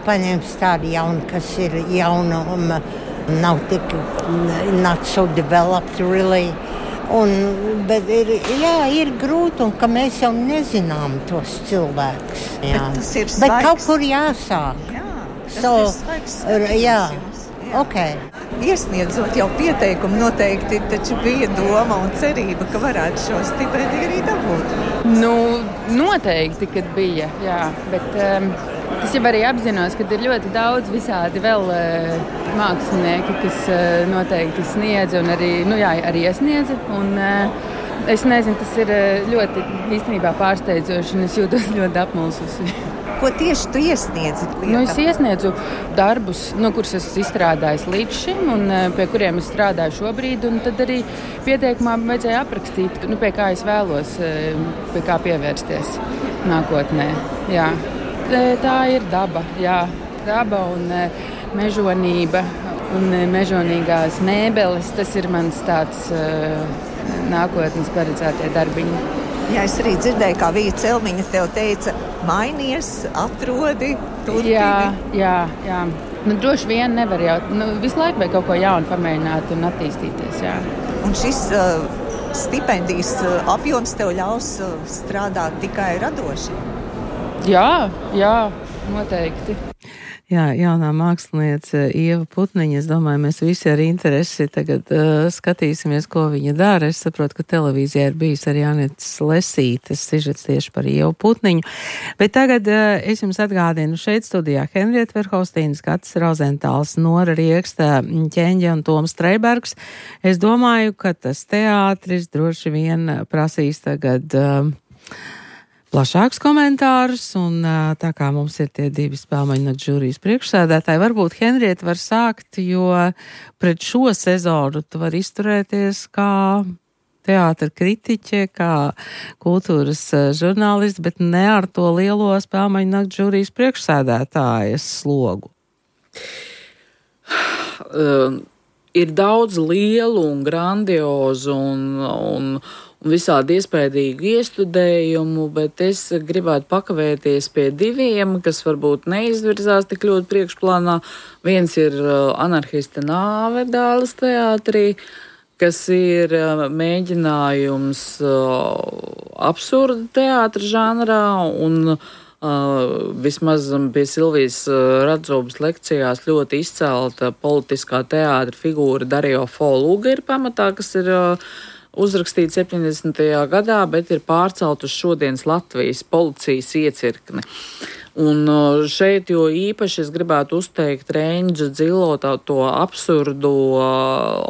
paņems tādi jauni, kas ir jauni un nav tik, not so developed really. Un, bet ir, jā, ir grūti, un ka mēs jau nezinām tos cilvēkus. Jā. Bet tas ir svaigs. Bet kaut kur jāsāk. Jā, tas so, ir svaigs. Jā, ok. Iesniedzot jau pieteikumu noteikti, taču bija doma un cerība, ka varētu šo stipendiju arī dabūt. Nu, noteikti, kad bija, jā, bet um, es jau arī apzinos, ka ir ļoti daudz visādi vēl uh, mākslinieki, kas uh, noteikti sniedz un arī, nu jā, arī iesniedz. Un, uh, es nezinu, tas ir ļoti īstenībā pārsteidzoši un es jūtos ļoti apmulsusi. Ko tieši tu iesniedzi? Nu, es iesniedzu darbus, nu, kurus esmu izstrādājis līdz šim, un pie kuriem es strādāju šobrīd. Tad arī pieteikumā vajadzēja aprakstīt, nu, pie kā es vēlos, pie kā pievērsties nākotnē. Jā. Tā ir daba, jā. Daba un mežonība un mežonīgās mēbeles. Tas ir mans tāds uh, nākotnes paredzētie darbiņi. Jā, es arī dzirdēju, kā Vija Celmiņa tev teica, mainies, atrodi, turpini. Jā, jā, jā. Nu, droši vien nevar jau, nu, visu laiku vajag kaut ko jaunu pamēģināt un attīstīties, jā. Un šis uh, stipendijas uh, apjoms tev ļaus uh, strādāt tikai radoši? Jā, jā, noteikti. Jā, jaunā māksliniece Ieva Putniņa, es domāju, mēs visi ar interesi tagad uh, skatīsimies, ko viņa dara. Es saprotu, ka televīzijā ir bijis arī Anītas Lesītes sižets tieši par Ievu Putniņu. Bet tagad uh, es jums atgādinu šeit studijā Henrieta Verhaustīna, Skatis Rozentāls, Nora Rieksta, Ķeņģe un Toms Streibergs. Es domāju, ka tas teātris droši vien prasīs tagad Uh, plašāks komentārus, un tā kā mums ir tie divi spēlmaņu žūrijas priekšsēdētāji, varbūt Henrieta var sākt, jo pret šo sezonu tu var izturēties kā teātra kritiķe, kā kultūras žurnālists, bet ne ar to lielo spēlmaņu nakts žūrijas priekšsēdētājas slogu. Uh, ir daudz lielu un grandiozu un, un un visādi iespējīgu iestudējumu, bet es gribētu pakavēties pie diviem, kas varbūt neizvirzās tik ļoti priekšplānā. Viens ir Anarhista nāve Dāles teātrī, kas ir mēģinājums absurda teātra žanrā, un uh, vismaz pie Silvijas Radzobas lekcijās ļoti izcelta politiskā teātra figūra Dario Fo Luga ir pamatā, kas ir uh, uzrakstīts septiņdesmitajā gadā, bet ir pārcelt uz šodienas Latvijas policijas iecirkni. Un šeit jo īpaši es gribētu uzteikt Reindža Dzilo to absurdu,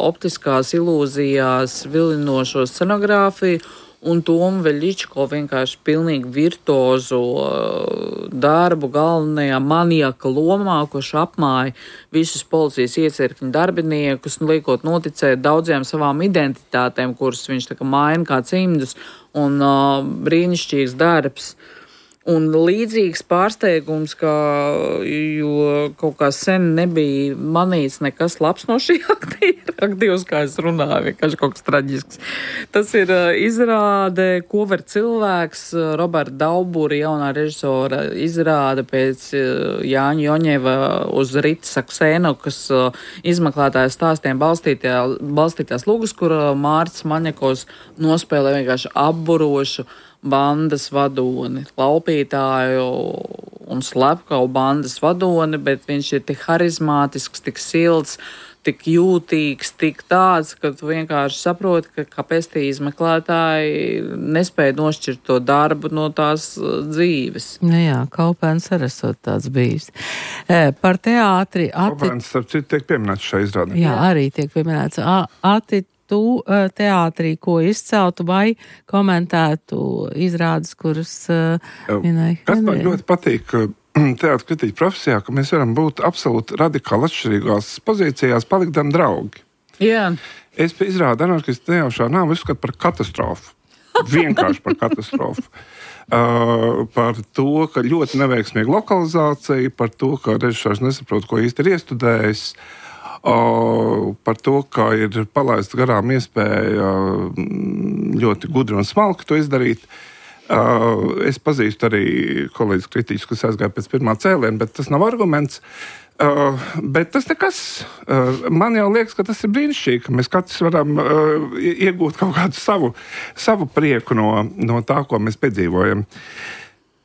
optiskās ilūzijās vilinošo scenogrāfiju un Tomu Veļičko vienkārši pilnīgi virtuozu darbu galvenajā maniaka lomā, kurš apmāja visus policijas iecirkņu darbiniekus, liekot noticēt daudziem savām identitātēm, kuras viņš tā kā maina kā cimdus, un uh, brīnišķīgs darbs. Un līdzīgs pārsteigums, ka, jo kaut kā sen nebija manīts nekas labs no šī aktīra. Aktīvs, kā es runāju, vienkārši kaut kas traģisks. Tas ir uh, izrāde, ko var cilvēks, uh, Roberta Daubura, jaunā režisora, izrāde pēc uh, Jāņa Joņeva uz Rita Saksēnokas uh, izmeklētājas stāstiem balstītās lugas, kur uh, Mārcis Maņakos nospēlē vienkārši apburošu bandas vadoni, laupītāju un slepkavu bandas vadoni, bet viņš ir tik harizmātisks, tik silts, tik jūtīgs, tik tāds, ka tu vienkārši saproti, ka kāpēc tie izmeklētāji nespēja nošķirt to darbu no tās dzīves. Nu jā, Kaupēns arī esot tāds bijis. E, par teātri... Ati... Kaupēns, starp citu, tiek pieminēts šai izrādē. Jā, arī tiek pieminēts. A, ati tu teātrī, ko izceltu vai komentētu izrādes, kuras uh, minēja? Kas man ļoti patīk teātra kritiķa profesijā, ka mēs varam būt absolūti radikāli atšķirīgās pozīcijās, palikdam draugi. Jā. Es pie izrādu Anarhistu nejaušā nāvu uzskatu par katastrofu. Vienkārši par katastrofu. Uh, par to, ka ļoti neveiksmīga lokalizācija, par to, ka režisors nesaprot, ko īsti ir iestudējis, uh, par to, ka ir palaists garām iespēja ļoti gudri un smalki to izdarīt. Uh, es pazīstu arī kolēģis kritiķus, kas aizgāja pēc pirmā cēliena, bet tas nav arguments. Uh, bet tas nekas. Uh, man jau liekas, ka tas ir brīnišķīgi, ka mēs katrs varam uh, iegūt kaut kādu savu, savu prieku no, no tā, ko mēs piedzīvojam.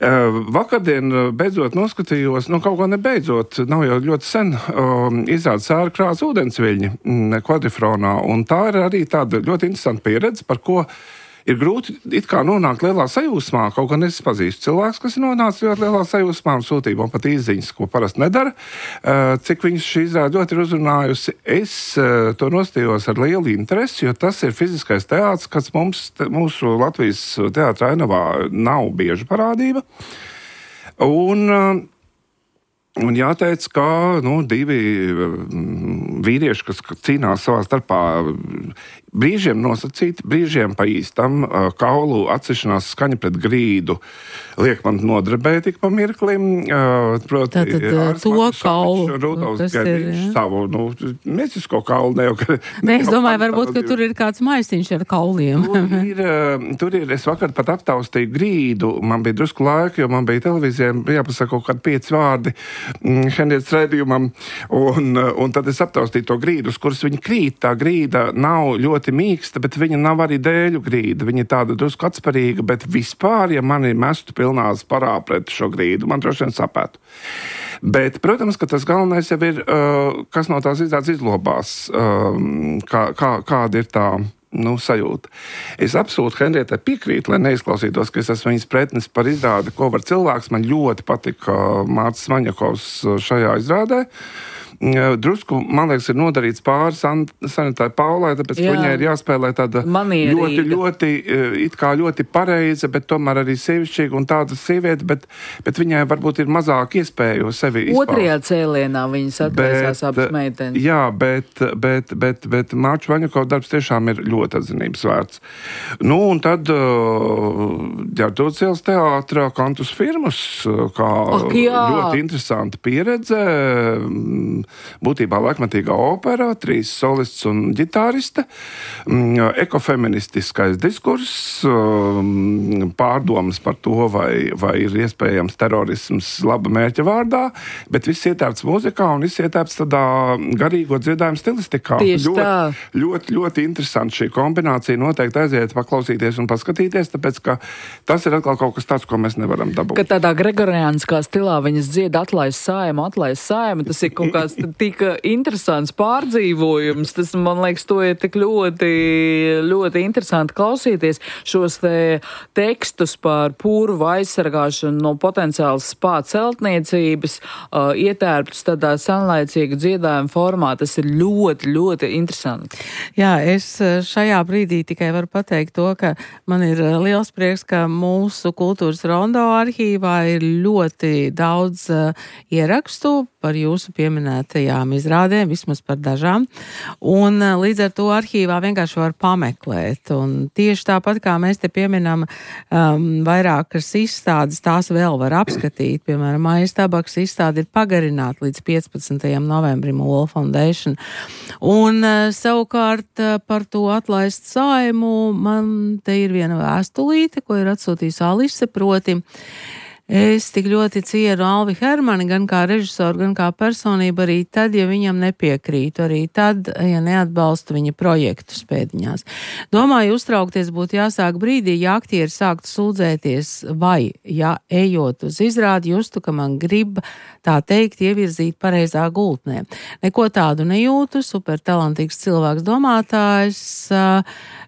Uh, vakardien beidzot noskatījos, nu kaut ko nebeidzot, nav jau ļoti sen, uh, izrāda Sēra Krāsa ūdensviļņi kvadrifronā, un tā ir arī tāda ļoti interesanta pieredze, par ko ir grūti it kā nonākt lielā sajūsmā, kaut gan es pazīstu cilvēks, kas ir nonācis ļoti lielā sajūsmā un sūtīja man pat izziņas, ko parasti nedara, cik viņas šī izrāde ļoti ir uzrunājusi. Es to nostījos ar lielu interesi, jo tas ir fiziskais teātris, kas mums, mūsu Latvijas teātra ainavā nav bieža parādība. Un, un jāteic, ka nu, divi vīrieši, kas cīnās savā starpā, brīžiem nosacīti, brīžiem pa īstam, kaulu atsešanās skaņa pret grīdu liek man nodarbēt tik pa mirklim. Proti, Tātad to kaulu. Rudolfs Gerdiņš savu, nu, mēsisko kaulu. Ne, jau, ne, es domāju, varbūt, ka tur ir kāds maisiņš ar kauliem. Tur ir, tur ir, es vakar pat aptaustīju grīdu, man bija drusku laika, jo man bija televīzijā, jāpasaka kaut kādi pieci vārdi Henrietas raidījumam, un, un tad es aptaustīju to grīdu, uz kuras viņa krīt. Tā grīda nav ļoti mīksta, bet viņa nav arī dēļu grīda. Viņa ir tāda drusku atsparīga, bet vispār, ja mani mestu pilnās parā pret šo grīdu, man droši vien sapētu. Bet, protams, ka tas galvenais jau ir, kas no tās izrādes izlobās, kā, kā, kāda ir tā nu, sajūta. Es absolūti Henrietai piekrītu, lai neizklausītos, ka es esmu viņas pretnis par izrādi, ko var cilvēks. Man ļoti patika Mārcis Maņakovs šajā izrādē. Drusku, man liekas, ir nodarīts pāri Sanitai Paulai, tāpēc Jā. Viņai ir jāspēlē tāda Manierīga. ļoti, ļoti, it kā ļoti pareiza, bet tomēr arī sievišķīga un tāda sieviete, bet, bet viņai varbūt ir mazāk iespēju sevi izpaust. Otrajā cēlienā viņas atvēsās abas meitenes. Jā, bet, bet, bet, bet Mārča Vaņakova darbs tiešām ir ļoti atzinības vērts. Nu, un tad Ģertrūdes ielas teātrā Kantus Firmus, kā Ak, jā. ļoti interesanta pieredze. Būtībā laikmatīgā opera, trīs solists un ģitāriste, ekofeministiskais diskurss, pārdomas par to, vai, vai ir iespējams terorisms laba mērķa vārdā, bet viss ietērpts mūzikā un viss ietērpts tādā garīgo dziedājumu stilistikā. Tieši ļoti, tā. Ļoti, ļoti interesanti šī kombinācija. Noteikti aiziet paklausīties un paskatīties, tāpēc, ka tas ir atkal kaut kas tāds, ko mēs nevaram dabūt. Ka tādā gregoriāniskā stilā viņas dzied atlaist saimu, atlaist saimu, tas ir kaut kāds tik interesants pārdzīvojums. Tas, man liekas, to ir tik ļoti, ļoti interesanti klausīties. Šos te tekstus par purvu aizsargāšanu no potenciālas spā celtniecības, uh, ietērptus tādā sanlaicīga dziedājuma formā. Tas ir ļoti, ļoti interesanti. Jā, es šajā brīdī tikai varu pateikt to, ka man ir liels prieks, ka mūsu kultūras rondo arhīvā ir ļoti daudz uh, ierakstu par jūsu pieminētajām izrādēm, vismaz par dažām. Un līdz ar to arhīvā vienkārši var pameklēt. Un tieši tāpat, kā mēs te pieminam um, vairākas izstādes, tās vēl var apskatīt. Piemēram, Maijas Tabaks izstāde ir pagarināta līdz piecpadsmitajam novembrim Wall Foundation. Un uh, savukārt uh, par to atlaist saimu man te ir viena vēstulīte, ko ir atsūtījusi Alise, proti. Es tik ļoti cienu Alvi Hermani, gan kā režisoru, gan kā personību, arī tad, ja viņam nepiekrītu, arī tad, ja neatbalstu viņa projektu spēdiņās. Domāju, uztraukties būtu jāsāk brīdī, ja aktieri sāktu sūdzēties, vai, ja ejot uz izrādi, justu, ka man grib, tā teikt, ievirzīt pareizā gultnē. Neko tādu nejūtu, supertalantīgs cilvēks domātājs,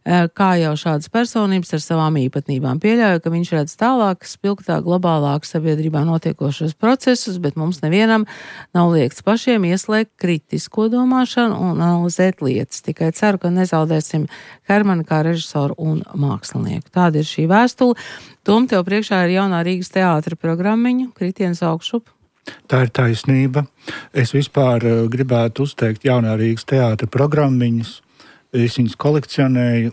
kā jau šādas personības ar savām īpatnībām. Pieļauju, ka viņš redz tālāk, spilgtāk, globālāk sabiedrībā notiekošos procesus, bet mums nevienam nav liekts pašiem ieslēgt kritisko domāšanu un analizēt lietas. Tikai ceru, ka nezaudēsim Hermani kā režisoru un mākslinieku. Tāda ir šī vēstule. Tom, tev priekšā ir jaunā Rīgas teātra programmiņa, Kritiens augšup. Tā ir taisnība. Es vispār gribētu uzteikt jaunā Rīgas teātra programmiņas. Es viņas kolekcionēju.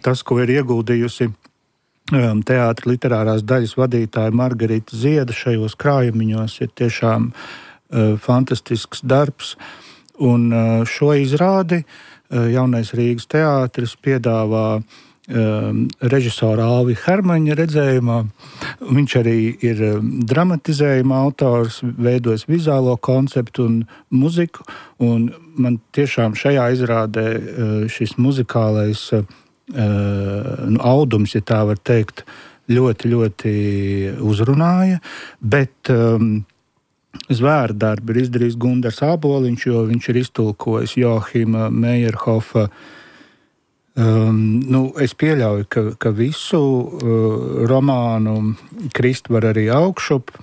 Tas, ko ir ieguldījusi um, teātra literārās daļas vadītāja Margarita Zieda šajos krājumiņos, ir tiešām uh, fantastisks darbs. Un uh, šo izrādi uh, jaunais Rīgas teātris piedāvā um, režisora Alvi Hermaņa redzējumā. Viņš arī ir um, dramatizējuma autors, veidojis vizuālo konceptu un muziku. Un man tiešām šajā izrādē uh, šis muzikālais uh, nu, audums, ja tā var teikt, ļoti, ļoti uzrunāja. Bet um, zvērdarbi ir izdarījis Gundars Āboliņš, jo viņš ir iztulkojis Joahima Meyerhofa. Um, nu, es pieļauju, ka, ka visu uh, romānu krist var arī augšup.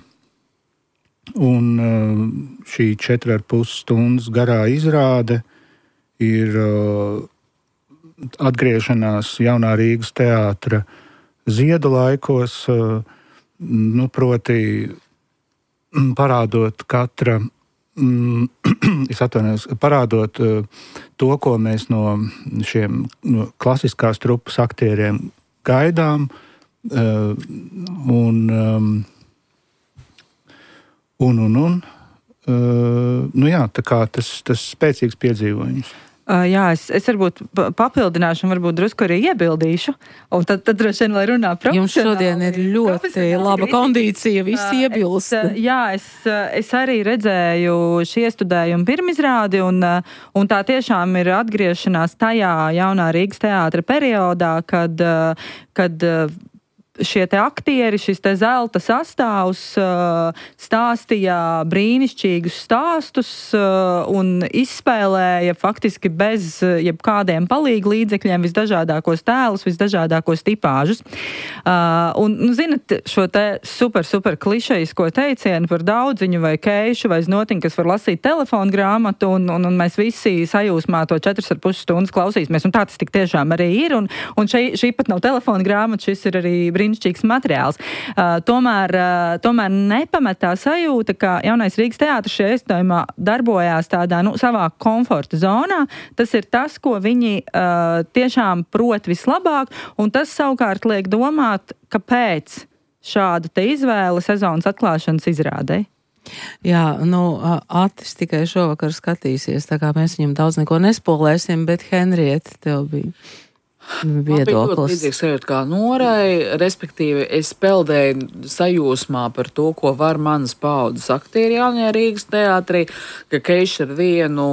Un uh, šī četri ar pus stundas garā izrāde ir uh, atgriešanās jaunā Rīgas teātra ziedu laikos, uh, nu, proti parādot katra, es atvainojos, parādot to, ko mēs no šiem no klasiskās trupas aktieriem gaidām, un, un, un, un, nu jā, tā kā tas, tas spēcīgs piedzīvojums. Uh, jā, es, es varbūt papildināšu un varbūt drusku arī iebildīšu, un tad, tad droši vien, lai runā profesionāli. Jums šodien ir ļoti laba kondīcija, visi uh, iebilst. Es, jā, es, es arī redzēju šī iestudējuma pirmizrādi, un, un tā tiešām ir atgriešanās tajā jaunā Rīgas teātra periodā, kad, kad šie te aktieri, šis te zelta sastāvs stāstīja brīnišķīgus stāstus un izspēlēja faktiski bez jebkādiem palīgu līdzekļiem visdažādākos tēlus, visdažādākos tipāžus. Un, nu, zinat, šo te super, super klišejisko teicienu par daudziņu vai keišu vai znotiņu, kas var lasīt telefonu grāmatu, un, un, un mēs visi sajūsmā to četras ar pus stundas klausīsimies, un tā tas tik tiešām arī ir, un, un šī, šī pat nav telefonu grāmata, šis ir arī brīnišķīgs materiāls. Uh, tomēr, uh, tomēr nepametā sajūta, ka jaunais Rīgas teātris šajā iestudējumā darbojās tādā, nu, savā komforta zonā. Tas ir tas, ko viņi uh, tiešām prot vislabāk, un tas savukārt liek domāt, kāpēc šāda te izvēle sezonas atklāšanas izrādē. Jā, nu, Atis tikai šovakar skatīsies, tā kā mēs viņam daudz neko nespolēsim, bet Henrieta, tev bija viedoklis. Man bija ļoti līdzīgs sajūta kā Norai, respektīvi es peldēju sajūsmā par to, ko var manas paudzes aktieri jaunajā Rīgas teātrī, ka Keiša ar vienu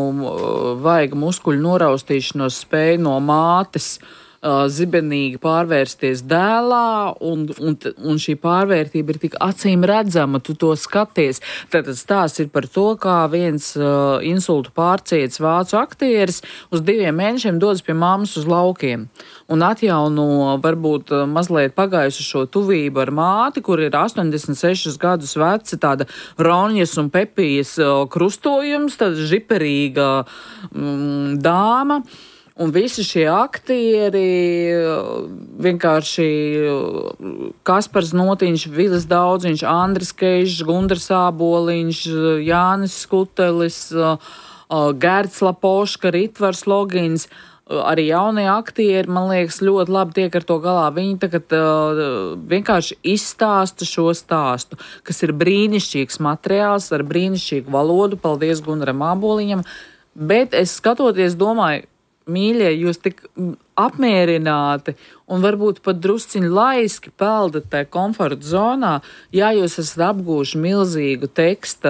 vaiga muskuļu noraustīšanos spēja no mātes zibenīgi pārvērsties dēlā, un, un, un šī pārvērtība ir tik acīm redzama, tu to skaties. Tātad stāsts ir par to, kā viens uh, insultu pārciets vācu aktieris uz diviem mēnešiem dodas pie mammas uz laukiem un atjauno varbūt mazliet pagājuši šo tuvību ar māti, kur ir astoņdesmit sešus gadus veci, tāda Ronjas un Pepijas uh, krustojums, tāda žiperīga mm, dāma. Un visi šie aktieri, vienkārši Kaspars Notiņš, Vilis Daudziņš, Andris Keižs, Gundars Āboliņš, Jānis Skutelis, Gerts Lapoška, Ritvars Logins, arī jaunie aktieri, man liekas, ļoti labi tiek ar to galā. Viņi tagad vienkārši izstāsta šo stāstu, kas ir brīnišķīgs materiāls ar brīnišķīgu valodu. Paldies Gundaram Āboliņam. Bet es skatoties domāju, mīļie, jūs tik apmierināti un varbūt pat drusciņi laiski peldat tajā komforta zonā, ja jūs esat apgūši milzīgu teksta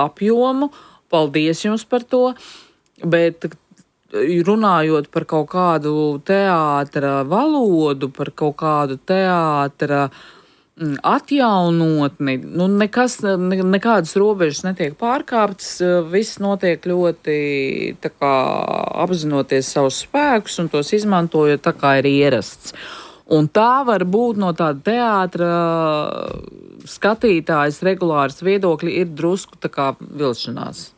apjomu, paldies jums par to, bet runājot par kaut kādu teātra valodu, par kaut kādu teātra atjaunotni, nu nekas, ne, nekādas robežas netiek pārkāptas, viss notiek ļoti tā kā apzinoties savus spēkus un tos izmantojot tā kā ir ierasts. Un tā var būt no tāda teātra skatītājas regulāras viedokļi ir drusku tā kā vilšanās.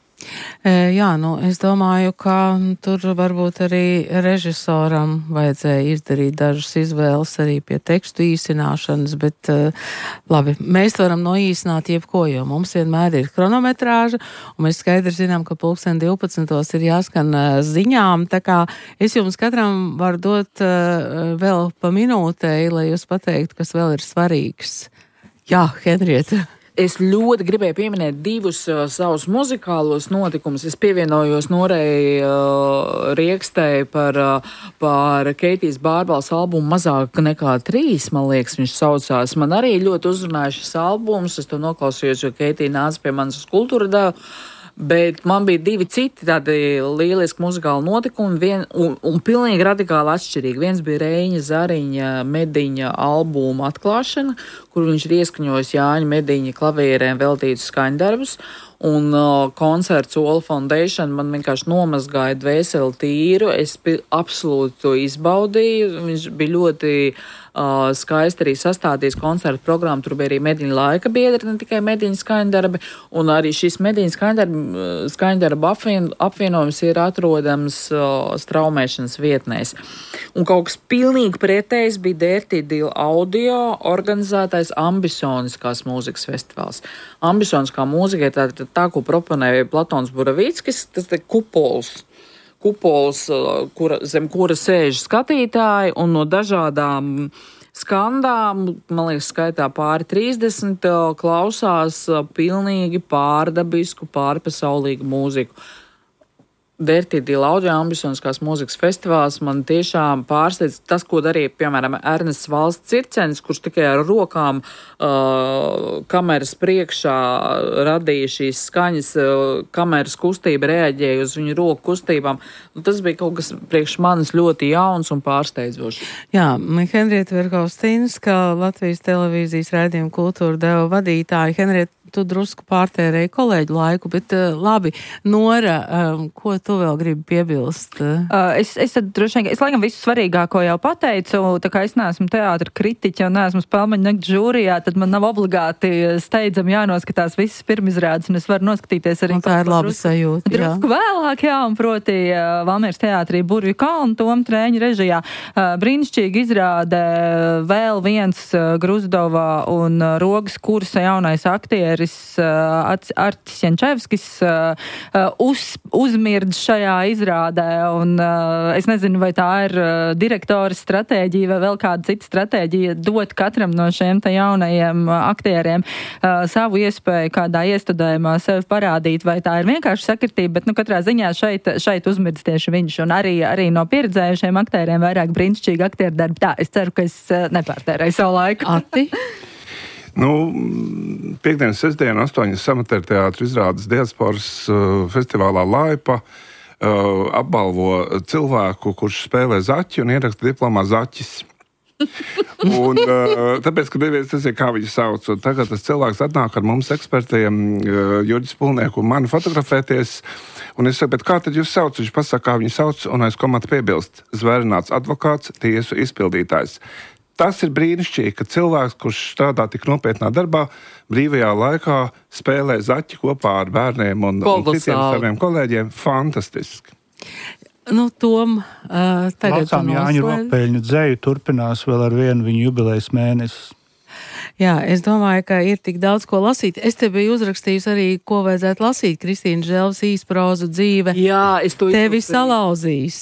Jā, nu, es domāju, ka tur varbūt arī režisoram vajadzēja izdarīt dažas izvēles arī pie tekstu īsināšanas, bet labi, mēs varam noīsināt jebko, jo mums vienmēr ir kronometrāža, un mēs skaidri zinām, ka pulksten divpadsmitos ir jāskan ziņām, tā kā es jums katram varu dot vēl pa minūtei, lai jūs pateiktu, kas vēl ir svarīgs. Jā, Henrieta. Es ļoti gribēju pieminēt divus uh, savus muzikālos notikumus. Es pievienojos Norei uh, Riekstei par, uh, par Keitijas Bārbals albumu Mazāk nekā trīs, man liekas, viņš saucās. Man arī ļoti uzrunāja šis albums, es to noklausījos, jo Keitija nāca pie manas uz kultūra devu. Bet man bija divi citi tādi lieliski muzikāli notikumi vien, un, un pilnīgi radikāli atšķirīgi. Viens bija Reiņa Zariņa Mediņa albuma atklāšana, kur viņš ir ieskaņojis Jāņa Mediņa klavierēm veltītus skaņdarbus. Un uh, koncerts Ola Foundation man vienkārši nomazgāja dvēseli tīru. Es absolūti to izbaudīju. Viņš bija ļoti uh, skaisti arī sastādījis koncertu programmu. Tur bija arī mediņu laika biedri, ne tikai mediņu skaņdarbi. Un arī šis mediņu skaņdarbi, skaņdarbi apvien, apvienojums ir atrodams uh, straumēšanas vietnēs. Un kaut kas pilnīgi pretējs bija Dirty Deal Audio organizētais ambisoniskās mūzikas festivāls. Ambisoniskā mūzika ir tā, tā, tā ko proponēja Platons Buravickis, tas ir kupols. Kupols, kura, zem kura sēž skatītāji, un no dažādām skandām, man liekas, skaitā pāri trīsdesmit, klausās pilnīgi pārdabisku, pārpasaulīgu mūziku. Dirty Deal Audio ambisoniskās mūzikas festivāls man tiešām pārsteidz tas, ko darīja, piemēram, Ernests Valsts Circenis, kurš tikai ar rokām uh, kameras priekšā radīja šīs skaņas, uh, kameras kustība reaģēja uz viņu roku kustībām. Nu, tas bija kaut kas priekš manis ļoti jauns un pārsteidzošs. Jā, Henrieta Verhaustīnska, Latvijas televīzijas raidījuma Kultūra deva vadītāja. Henrieta, tu drusku pārtērēji kolēģu laiku, bet uh, labi, Nora, um, ko tu vēl gribi piebilst? Uh, es, es tad droši vien, es laikam visu svarīgāko jau pateicu, tā kā es neesmu teātra kritiķa un neesmu spēlmeņu nakts žūrijā, tad man nav obligāti steidzami jānoskatās visas pirmizrādes, un es varu noskatīties arī. Un tā ir laba sajūta, jā. Drusku vēlāk, jā, un proti uh, Valmieras teātrī Burvju kalnu Tom Trēņa režijā. Uh, brīnišķīgi izrāde vēl viens uh, Gruzdova un uh, Rogas kursa jaunais aktieris Artis Jančevskis uz, uzmirdz šajā izrādē, un es nezinu, vai tā ir direktora stratēģija vai vēl kāda cita stratēģija dot katram no šiem te jaunajiem aktieriem savu iespēju kādā iestudējumā sevi parādīt, vai tā ir vienkārši sakritība, bet nu katrā ziņā šeit, šeit uzmirdz tieši viņš, un arī, arī no pieredzējušiem aktieriem vairāk brīnišķīgi aktieru darbi. Tā, es ceru, ka es nepārtērēju savu laiku. Ati? Nu, piekdienas, sestdiena, astoņas amatieru teātra izrādes diasporas uh, festivālā Laipa uh, apbalvo cilvēku, kurš spēlē zaķi un ieraksta diplomā zaķis. Un, uh, tāpēc, ka neviens tas ir, kā viņu sauc, un tagad tas cilvēks atnāk ar mums ekspertiem, uh, Jurģis Pulnieku un mani fotografēties, un es saku, bet kā tad jūs sauc? Viņš pasaka, kā viņu sauc, un aiz komata piebilst: zvērināts advokāts, tiesu izpildītājs. Tas ir brīnišķīgi, ka cilvēks, kurš strādā tik nopietnā darbā, brīvajā laikā spēlē zaķi kopā ar bērniem un, un citiem saviem kolēģiem. Fantastiski. Nu, Tom, uh, tagad Laucām Jāņu Rokpeļņu dzeju turpinās vēl ar vienu viņu jubilejas mēnesi. Jā, es domāju, ka ir tik daudz ko lasīt. Es te biju uzrakstījusi arī, ko vajadzētu lasīt. Kristīna Želvas īsprozu dzīve. Jā, es to tevi salauzīs.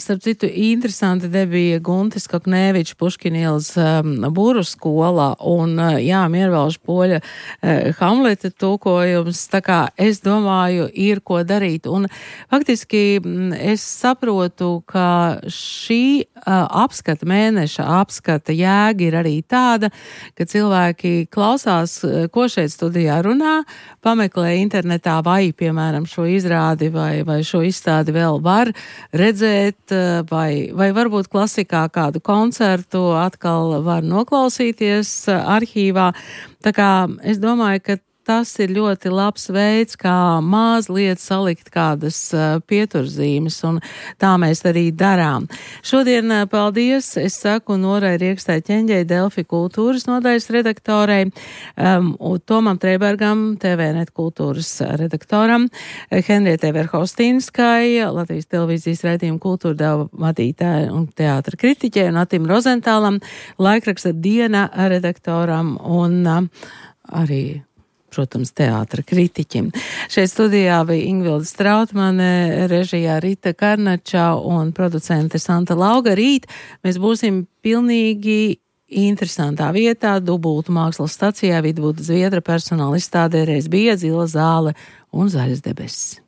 Starp citu, interesanti debija Guntis Kaknēvičs Puškinielas um, Būru skolā un, uh, jā, Miervalža Poļa uh, Hamleta tūkojums. Tā kā es domāju, ir ko darīt. Un faktiski m, es saprotu, ka šī uh, apskata, mēneša apskata jēga ir arī tāda, ka cilvēki klausās, ko šeit studijā runā, pameklē internetā vai, piemēram, šo izrādi vai, vai šo izstādi vēl var redzēt, vai, vai varbūt klasikā kādu koncertu atkal var noklausīties arhīvā. Tā kā es domāju, ka tas ir ļoti labs veids, kā mazliet salikt kādas uh, pieturzīmes, un tā mēs arī darām. Šodien uh, paldies, es saku Norai Riekstai Ķeņģei, Delfi kultūras nodaļas redaktorei, um, un Tomam Treibergam, T V net kultūras redaktoram, Henrietai Verhaustīnskai, Latvijas televīzijas raidījuma Kultūra deva vadītāja un teātra kritiķei, un Atim Rozentālam, laikraksta Diena redaktoram, un uh, arī protams, teātra kritiķim. Šeit studijā bija Ingvilda Strautmane, režijā Rita Karnača un producente Santa Lauga. Rīt mēs būsim pilnīgi interesantā vietā, Dubultu mākslas stacijā, Vidvuda Zviedra personāla izstādē, reiz bija zila zāle un zaļas debesis.